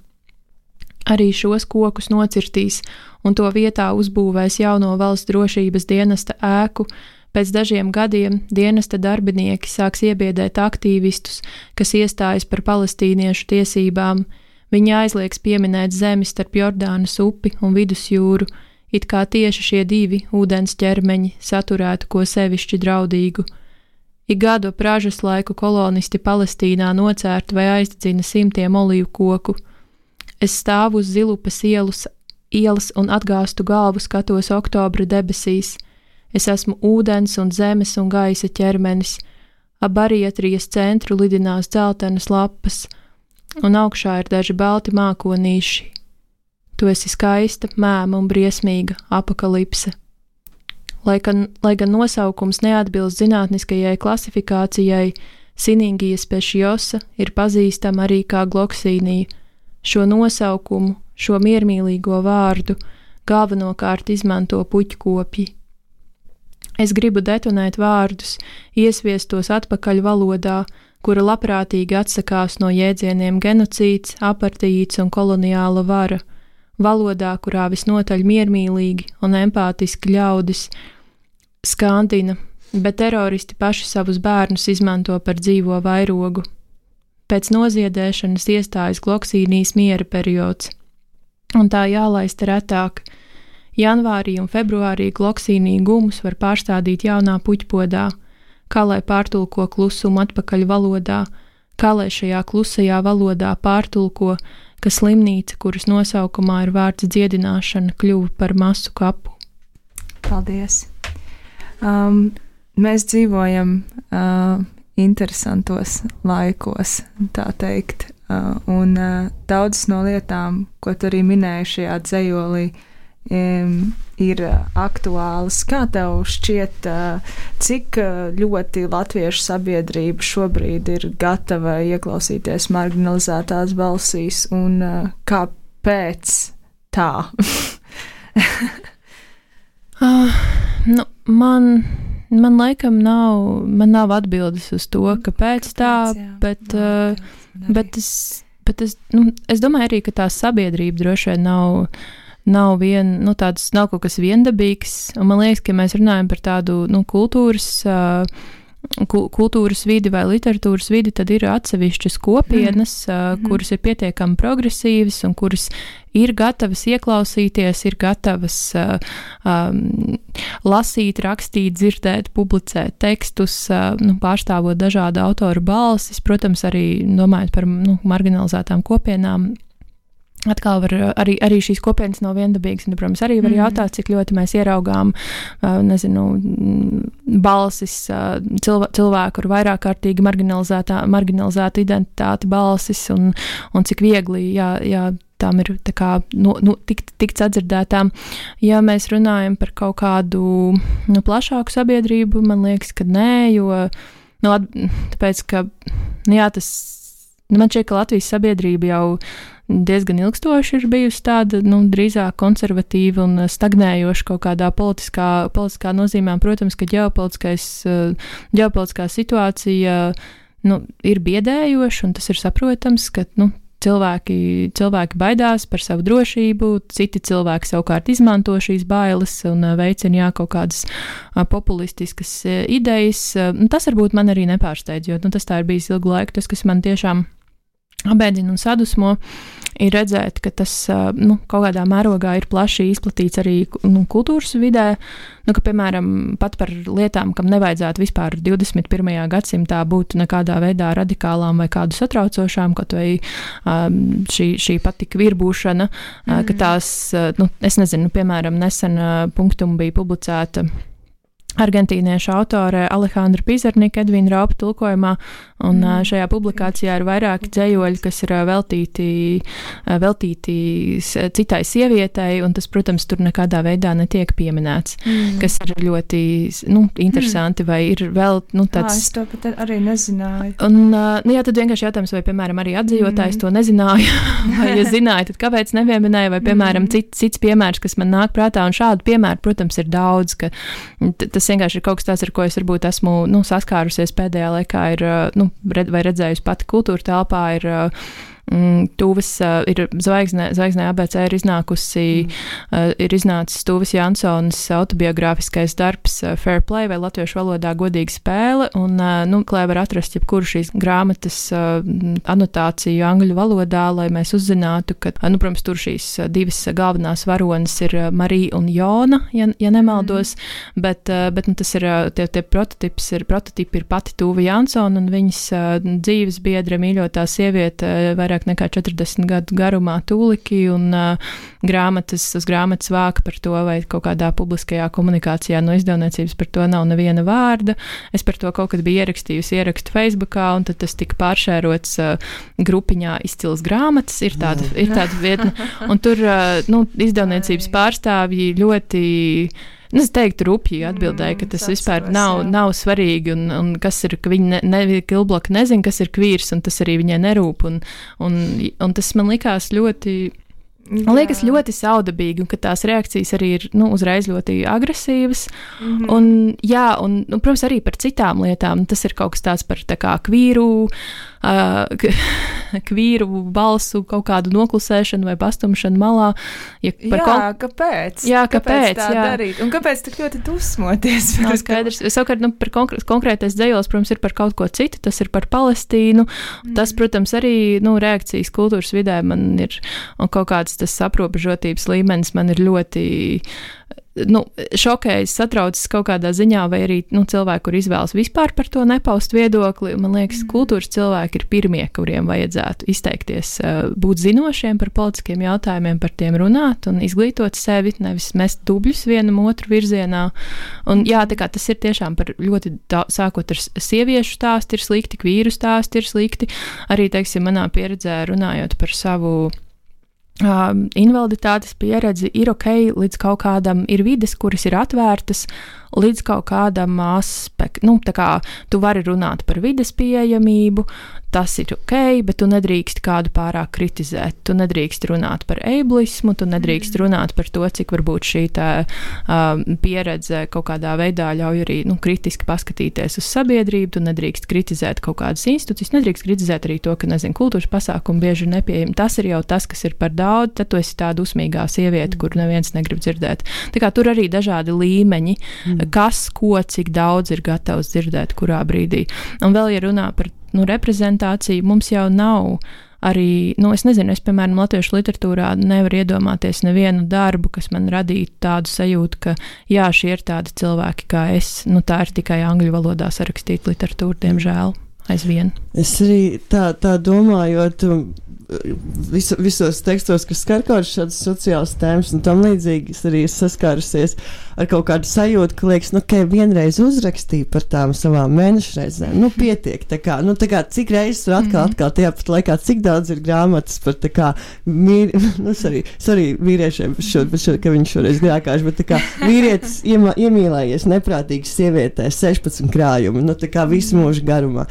Arī šos kokus nocirtīs un to vietā uzbūvēs jauno valsts drošības dienesta ēku. Pēc dažiem gadiem dienesta darbinieki sāks iebiedēt aktīvistus, kas iestājas par palestīniešu tiesībām. Viņi aizliegs pieminēt zemi starp Jordānas upi un Vidusjūru, it kā tieši šie divi ūdens ķermeņi saturētu ko sevišķi draudīgu. Ik gadu pražas laiku kolonisti Palestīnā nocērt vai aizdedzina simtiem olīvu koku. Es stāvu uz Zilupas ielas un atgāstu galvu skatos oktobra debesīs. Es esmu ūdens un zemes un gaisa ķermenis. Ap barietrijas centru lidinās dzeltenas lapas, un augšā ir daži balti mākonīši. Tu esi skaista, mēma un briesmīga apokalipse. Lai gan nosaukums neatbilst zinātniskajai klasifikācijai, Siningija speciosa ir pazīstama arī kā gloksīnija. Šo nosaukumu, šo miermīlīgo vārdu galvenokārt izmanto puķkopji. Es gribu detonēt vārdus, iesviest tos atpakaļ valodā, kura labprātīgi atsakās no jēdzieniem genocīds, apartīds un koloniāla vara, valodā, kurā visnotaļ miermīlīgi un empātiski ļaudis skandina, bet teroristi paši savus bērnus izmanto par dzīvo vairogu. Pēc noziedēšanas iestājas gloksīnijas miera periods, un tā jālaista retāk. Janvārī un februārī gloksīnija gumus var pārstādīt jaunā puķpodā, kā lai pārtulko klusumu atpakaļ valodā, kā lai šajā klusajā valodā pārtulko, ka slimnīca, kuras nosaukumā ir vārds dziedināšana, kļuva par masu kapu. Paldies! Mēs dzīvojam interesantos laikos, tā teikt, un daudzas no lietām, ko tu arī minēji šajā dzejolī, ir aktuālas. Kā tev šķiet, cik ļoti latviešu sabiedrība šobrīd ir gatava ieklausīties marginalizētās balsīs, un kāpēc tā? Man laikam nav atbildes uz to, kāpēc tā, bet es domāju arī, ka tā sabiedrība droši vien nav kaut kas viendabīgs, un man liekas, ka mēs runājam par tādu, kultūras vidi vai literatūras vidi, tad ir atsevišķas kopienas, kuras ir pietiekami progresīvas un kuras ir gatavas ieklausīties, ir gatavas lasīt, rakstīt, dzirdēt, publicēt tekstus, pārstāvot dažādu autoru balsis, protams, arī domājot par marginalizētām kopienām. Atkal var arī šīs kopienas nav viendabīgas, un, protams, arī var jautāt, cik ļoti mēs ieraugām, balsis cilvēku ar vairāk kārtīgi marginalizētu identitāti balsis, un cik viegli, tām ir tā kā tikt sadzirdētām. Ja mēs runājam par kaut kādu plašāku sabiedrību, man liekas, ka nē, jo, tāpēc, ka, man šķiet, ka Latvijas sabiedrība jau diezgan ilgstoši ir bijusi tāda, drīzāk konservatīva un stagnējoša kaut kādā politiskā nozīmē. Protams, ka ģeopolitiskā situācija, ir biedējoša, un tas ir saprotams, ka, cilvēki baidās par savu drošību, citi cilvēki savukārt izmanto šīs bailes un veicina kaut kādas populistiskas idejas. Tas varbūt man arī nepārsteidz, jo tas tā ir bijis ilgu laiku. Tas, kas man tiešām abēdina un sadusmo, ir redzēt, ka tas kaut kādā mērogā ir plaši izplatīts arī kultūras vidē, ka, piemēram, pat par lietām, kam nevajadzētu vispār 21. gadsimtā būt nekādā veidā radikālām vai kādu satraucošām, kaut vai šī patika virbūšana, ka tās, es nezinu, piemēram, nesen punktum bija publicēta argentīniešu autore Alejandra Pizarnika Edvīna Raupa tulkojumā, un šajā publikācijā ir vairāki dzejoļi, kas ir veltīti citai sievietei, un tas, protams, tur nekādā veidā netiek pieminēts, kas ir ļoti, interesanti, vai ir vēl, tāds... Es to pat arī nezināju. Un, tad vienkārši jautājums, vai, piemēram, arī atzījotājs to nezināja, vai, ja zināja, tad kāpēc nepieminēja, vai, piemēram, cits piemērs, kas man nāk prātā, un šādu piemēru, protams, ir daudz, ka tas vienkārši ir kaut kas tāds, ar ko es varbūt esmu saskārusies pēdējā laikā, vai redzējusi pati kultūra telpā, ir Tūves, ir zvaigznē ABC ir iznācis Tūves Jansonas autobiogrāfiskais darbs Fair Play vai latviešu valodā godīga spēle, un, klē var atrast jebkuru šīs grāmatas anotāciju angļu valodā, lai mēs uzzinātu, ka, protams, tur šīs divas galvenās varonas ir Marija un Jona, ja nemaldos, bet tas ir, tie prototipi ir pati Tūva Jansona un viņas dzīves biedra mīļotā sieviete vairāk vairāk nekā 40 gadu garumā tūliki un grāmatas vāka par to, vai kaut kādā publiskajā komunikācijā no izdevniecības par to nav neviena vārda. Es par to kaut kad biju ierakstījusi ierakstu Facebookā, un tad tas tika pāršērots grupiņā Izcils grāmatas, ir tāda vietne, un tur, izdevniecības pārstāvji ļoti, es teiktu, rupji atbildēja, ka tas vispār nav svarīgi, un kas ir, ka viņi Kilblaka nezin, kas ir kvīrs, un tas arī viņai nerūp, un tas man likās ļoti saudabīgi, un ka tās reakcijas arī ir, uzreiz ļoti agresīvas, un protams, arī par citām lietām, tas ir kaut kas tāds par tā kā kvīru balsu kaut kādu noklusēšanu vai pastumšanu malā. Kāpēc? Kāpēc tā darīt? Un kāpēc tik ļoti dusmoties? Nav skaidrs. Savukārt, par konkrētais dzejols, protams, ir par kaut ko citu, tas ir par Palestīnu. Tas, protams, arī, reakcijas kultūras vidē man ir, un kaut kāds tas aprobežotības līmenis man ir ļoti šokējis, satraucis kaut kādā ziņā, vai arī cilvēki, kur izvēlas vispār par to nepaust viedokli. Man liekas, kultūras cilvēki ir pirmie, kuriem vajadzētu izteikties, būt zinošiem par politiskiem jautājumiem, par tiem runāt un izglītot sevi, nevis mest dubļus vienam otru virzienā. Un tā kā tas ir tiešām par ļoti sākot ar sieviešu stāstu ir slikti, kvīru stāstu ir slikti. Arī, teiksim, manā pieredzē runājot par savu invaliditātes pieredzi, ir ok, līdz kaut kādam ir vides, kuras ir atvērtas, līdz kaut kādam aspektam, tā kā tu vari runāt par vides pieejamību, tas ir ok, bet tu nedrīkst kādu pārāk kritizēt, tu nedrīkst runāt par ableismu, tu nedrīkst runāt par to, cik varbūt šī pieredze kaut kādā veidā ļauj arī, kritiski paskatīties uz sabiedrību, tu nedrīkst kritizēt kaut kādas institūcijas, nedrīkst kritizēt arī to, ka, kultūras pasākumi bieži ir nepieejami. Tas ir jau tas, kas ir par daudz, tad tu esi tā dusmīgā sieviete, kur neviens negrib dzirdēt. Tā kā tur arī dažādi līmeņi, kas, ko, cik daudz ir gatavs dzirdēt, kurā brīdī. Un vēl, ja runā par reprezentāciju, mums jau nav arī, es nezinu, es, piemēram, latviešu literatūrā nevaru iedomāties nevienu darbu, kas man radītu tādu sajūtu, ka, šie ir tādi cilvēki kā es. Tā ir tikai angļu valodā sarakstīta literatūra, diemžēl, aizvien. Es arī tā domājot, visos tekstos, kas skar kaut šādas sociālas tēmas un tam līdzīgi, es arī saskārusies ar kaut kādu sajūtu, ka liekas, ka vienreiz uzrakstīju par tām savām mēnešreizēm, pietiek, tā kā, cik reizes tur atkal tajā pat laikā, cik daudz ir grāmatas par tā kā, sorry vīriešiem, ka viņš šoreiz grākāši, bet tā kā vīrietis iemīlējies neprātīgas sievietēs 16 krājumi, tā kā visu mūžu garumā,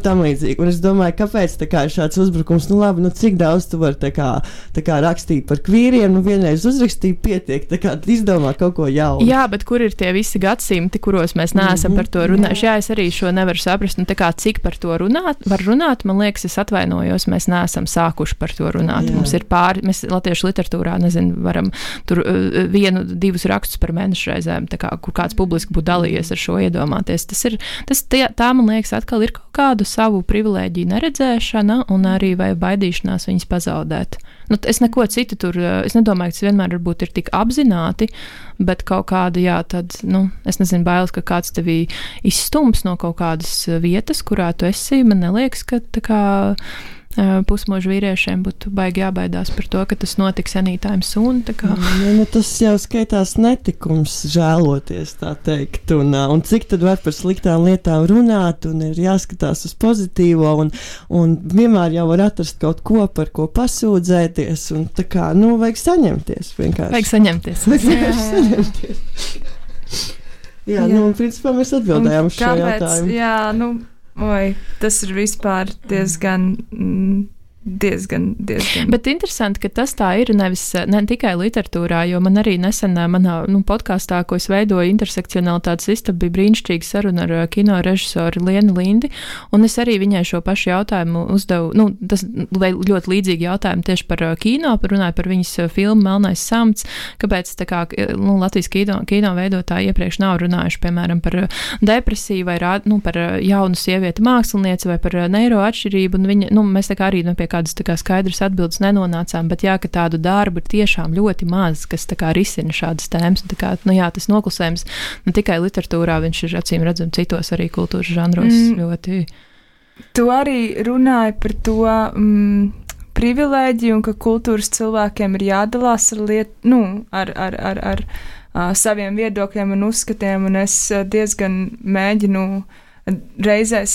tam līdzīgi, un es domāju, kāpēc tā kā ir šāds uzbrukums, labi, cik daudz tu vari tā kā rakstīt par kvīriem, vienreiz uzrakstīju, pietiek, tā kā izdomā kaut ko jaunu. Jā, bet kur ir tie visi gadsimti, kuros mēs neesam par to runājuši? Jā, es arī šo nevaru saprast, tā kā cik par to var runāt, man liekas, es atvainojos, mēs neesam sākuši par to runāt. Jā. Mums ir mēs latviešu literatūrā, varam tur 1-2 rakstus par mēnešreizēm, tā kā, kur kāds publiski būtu dalījies ar šo iedomāties. Tā, man liekas, atkal ir kaut kādu savu privilēģiju neredzēšana un arī vai baidīšanās viņas pazaudēt. Es neko citu tur, es nedomāju, ka tas vienmēr varbūt ir tik apzināti, bet kaut kāda, tad, es nezinu, bailes, ka kāds tevī izstums no kaut kādas vietas, kurā tu esi, man neliekas, ka tā kā pusmožu vīriešiem būtu baigi jābaidās par to, ka tas notiks anytime soon. Tas jau skaitās netikums žēloties, tā teikt, un cik tad var par sliktām lietām runāt, un ir jāskatās uz pozitīvo, un vienmēr jau var atrast kaut ko, par ko pasūdzēties, un tā kā, vajag saņemties vienkārši. Vajag saņemties. Jā, principā mēs atbildējām uz šo jautājumu. Jā, tas ir vispār diezgan. Bet interesanti, ka tas tā ir ne tikai literatūrā, jo man arī nesen manā podkāstā, ko es veidoju, intersekcionalitātes istaba, bija brīnišķīga saruna ar kino režisoru Lienu Lindi, un es arī viņai šo pašu jautājumu uzdevu, tas ļoti līdzīgi jautājumu tieši par kino, runāju par viņas filmu Melnais samts, kāpēc tā kā Latvijas kino veidotāji iepriekš nav runājuši, piemēram, par depresiju vai par jaunu sievieti mākslinieci vai par neiro atšķirību, un viņa, mēs tā kā arī pie kādas tā kā skaidras atbildes nenonācām, bet ka tādu darbu ir tiešām ļoti maz, kas tā kā risina šādas tēmas. Tā kā, tas noklusējums ne tikai literatūrā, viņš ir acīm redzam citos arī kultūras žanros ļoti. Tu arī runāji par to, privilēģija un ka kultūras cilvēkiem ir jādalās ar saviem viedokļiem un uzskatiem, un es diezgan mēģinu reizēs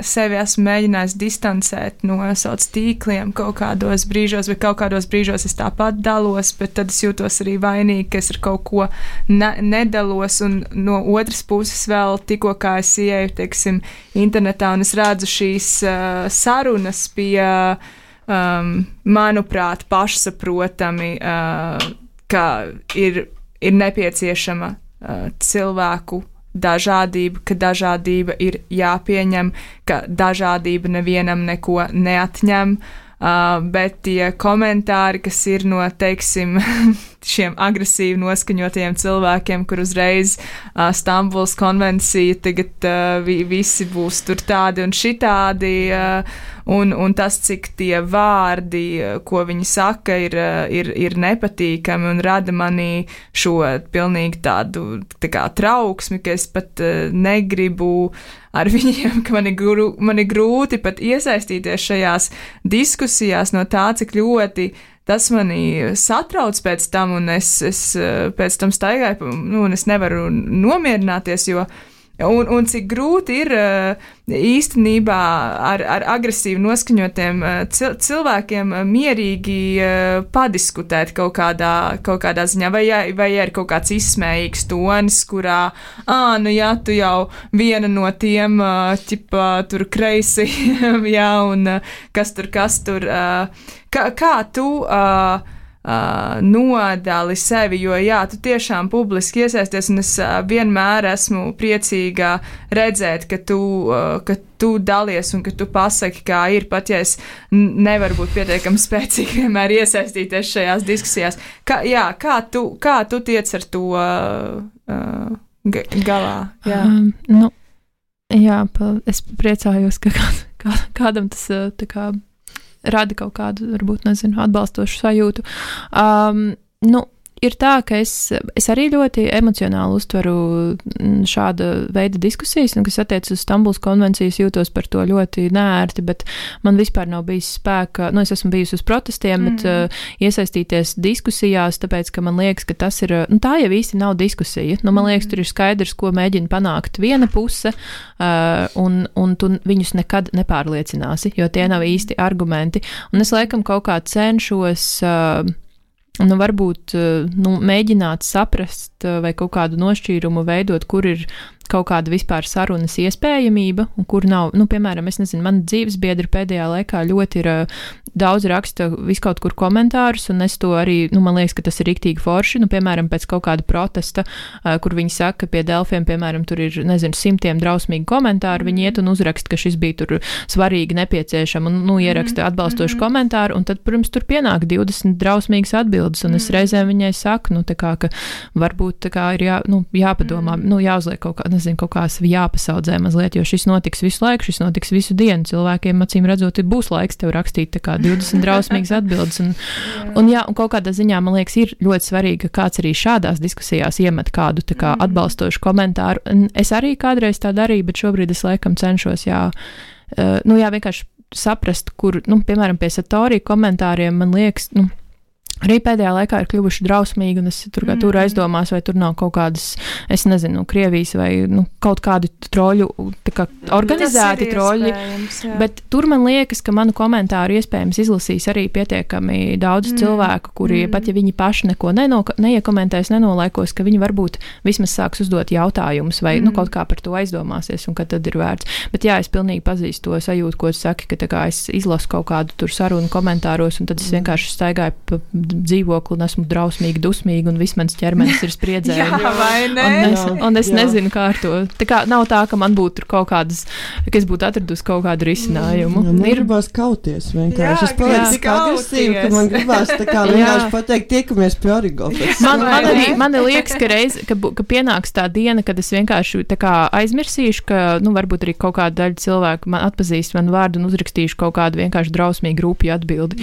sevi esmu mēģinājis distancēt no sauc tīkliem kaut kādos brīžos, vai kaut kādos brīžos es tāpat dalos, bet tad es jūtos arī vainīgi, ka es ar kaut ko nedalos, un no otras puses vēl tikko kā es ieeju, teiksim, internetā, un es redzu šīs sarunas pie, manuprāt, pašsaprotami, ka ir nepieciešama cilvēku dažādība, ka dažādība ir jāpieņem, ka dažādība nevienam neko neatņem, bet tie komentāri, kas ir no, teiksim, šiem agresīvi noskaņotajiem cilvēkiem, kur uzreiz Stambulas konvencija tagad visi būs tur tādi un šitādi, un tas, cik tie vārdi, ko viņi saka, ir nepatīkami un rada manī šo pilnīgi tādu tā kā trauksmi, ka es pat negribu ar viņiem, ka man ir grūti pat iesaistīties šajās diskusijās no tā, cik ļoti tas mani satrauc pēc tam, un es pēc tam staigāju, un es nevaru nomierināties, jo un cik grūti ir īstenībā ar agresīvi noskaņotiem cilvēkiem mierīgi padiskutēt kaut kādā ziņā, vai ir kaut kāds izsmējīgs tonis, kurā, jā, tu jau viena no tiem, ķipā, tur kreisi, jā, un kas tur, kā tu nodali sevi, jo jā, tu tiešām publiski iesaisties, un es vienmēr esmu priecīga redzēt, ka tu dalies un ka tu pasaki, kā ir, pat ja es nevaru būt pietiekami spēcīgi vienmēr iesaistīties šajās diskusijās. Kā tu tiec ar to galā? Jā. Jā, es priecājos, ka kādam tas tā kā rada kaut kādu, varbūt, nezinu, atbalstošu sajūtu. Ir tā, ka es arī ļoti emocionāli uztveru šāda veida diskusijas, un kas attiecas uz Stambulas konvencijas, jūtos par to ļoti neērti, bet man vispār nav bijis spēka, es esmu bijusi uz protestiem, bet iesaistīties diskusijās, tāpēc, ka man liekas, ka tas ir, tā jau īsti nav diskusija. Man liekas, tur ir skaidrs, ko mēģina panākt viena puse, un tu viņus nekad nepārliecināsi, jo tie nav īsti argumenti. Un es laikam kaut kā cenšos varbūt mēģināt saprast vai kaut kādu nošķīrumu veidot, kur ir kaut kāda vispār sarunas iespējamība, un kur nav, piemēram, es nezinu, man dzīvesbiedri pēdējā laikā ļoti ir daudz raksta viskaut kur komentārus, un es to arī, man liekas, ka tas ir riktīgi forši, piemēram, pēc kaut kāda protesta, kur viņi saka, ka pie Delfiem, piemēram, tur ir, nezinu, 100 drausmīgi komentāri, viņi iet un uzraksta, ka šis bija tur svarīgi, nepieciešam, un, ieraksta atbalstošu komentāru, un tad, protams, tur pienāk 20 drausmīgas atbildes, un es reizēm viņai saku, tā kā, ka varbūt tā kā ir jāpadomā, jāuzliek kaut kā, nezinu, kaut kā jāpasaudzē mazliet, jo šis notiks visu laiku, šis notiks visu dienu. Cilvēkiem, acīm redzot, būs laiks tev rakstīt tā kā 20 drausmīgas atbildes. Un kaut kādā ziņā, man liekas, ir ļoti svarīgi, ka kāds arī šādās diskusijās iemet kādu tā kā atbalstošu komentāru. Es arī kādreiz tā darīju, bet šobrīd es laikam cenšos, vienkārši saprast, kur, piemēram, pie Satorī komentāriem, man liekas, arī pēdējā laikā ir kļuvuši drausmīgi, un es tur aizdomās, vai tur nav kaut kādas, es nezinu, Krievijas vai kaut kādi troļu, tā kā organizēti troļi, bet tur man liekas, ka manu komentāru iespējams izlasīs arī pietiekami daudz cilvēku, kuri, pat ja viņi paši neko neiekomentēs, nenolaikos, ka viņi varbūt vismaz sāks uzdot jautājumus, vai kaut kā par to aizdomāsies, un ka tad ir vērts. Bet jā, es pilnīgi pazīstu to sajūtu, ko tu saki, ka tā kā es izlasu kaut kādu tur sarunu komentāros, un tad es vienkārši staigāju pa dzīvokli un esmu drausmīgi, dusmīgi, un viss mans ķermenis ir spriedzē. Jā, vai ne? Un es nezinu, kā ar to. Tā kā nav tā, ka man būtu kaut kādas, ka es būtu atradusi kaut kādu risinājumu. Man gribās kauties vienkārši. Es palieku tik agresīvi, ka man gribās tā kā vienkārši pateikt, tiekamies pie Origofes. Man liekas, ka pienāks tā diena, kad es vienkārši tā kā aizmirsīšu, ka, varbūt arī kaut kāda daļa cilvēku man atpazīst manu vārdu un uzrakstīšu kaut kādu vienkārši drausmīgu rupju atbildi.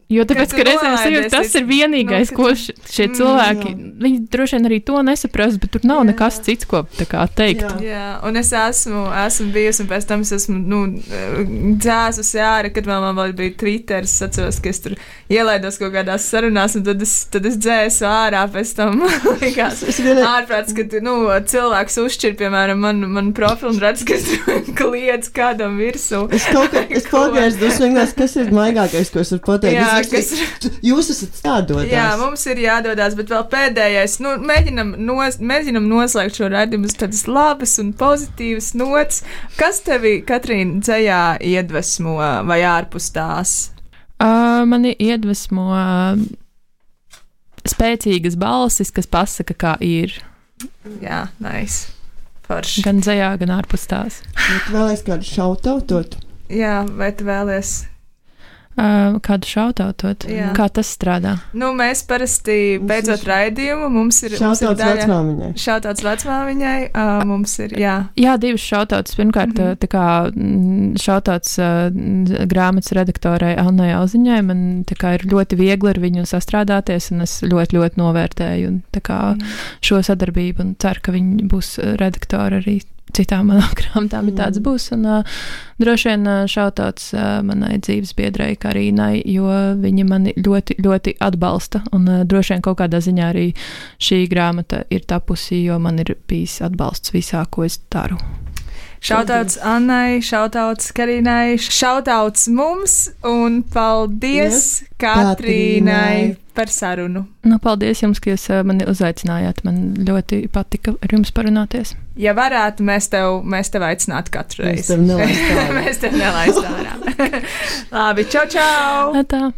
Jo tāpēc, ka reizēm sajūta, tas ir vienīgais, ko šie cilvēki, viņi droši vien arī to nesaprast, bet tur nav nekas cits, ko tā kā teikt. Jā, un es esmu bijusi, un pēc tam es esmu, dzēsusi ārā, kad man vēl bija Twitter, es atceros, ka es tur ielaidos kaut kādās sarunās, un tad es dzēsu ārā, pēc tam likās ārprāts, kad, cilvēks uzšķir, piemēram, man profilu un redz, ka es kliedz kādam virsū. Es pagaidu, kas ir maigākais, ko es varu pateikt. Jūs esat jādodās. Jā, mums ir jādodās, bet vēl pēdējais, mēģinam noslēgt šo raidījumu uz tādas labas un pozitīvas nots. Kas tevi, Katrīna, dzejā iedvesmo vai ārpus tās? Mani iedvesmo spēcīgas balsis, kas pasaka, kā ir. Jā, nice. Forši. Gan dzejā, gan ārpus tās. Vai tu vēlies kādu šautautot? Jā, vai tu vēlies? Kādu šautautot? Jā. Kā tas strādā? Mēs parasti beidzot raidījumu, mums ir šautauts vecmāmiņai. Šautauts vecmāmiņai, mums ir, jā. Jā, divas šautauts. Pirmkārt, tā kā šautauts grāmatas redaktorai Annai Auziņai, man tā kā ir ļoti viegli ar viņu sastrādāties, un es ļoti, ļoti novērtēju un tā kā šo sadarbību, un ceru, ka viņi būs redaktori arī citām manām grāmatām, ja tāds būs. Un droši vien šautauts manai dzīves biedrai Karīnai, jo viņa mani ļoti, ļoti atbalsta. Un droši vien kaut kādā ziņā arī šī grāmata ir tapusi, jo man ir bijis atbalsts visā, ko es daru. Šautauts Annai, šautauts Karīnai, šautauts mums un paldies Katrīnai par sarunu. Paldies jums, ka jūs mani uzaicinājāt. Man ļoti patika ar jums parunāties. Ja varētu, mēs tev aicinātu katru reizi. Mēs tev nelaistu ārā. Labi, čau, čau! Tā.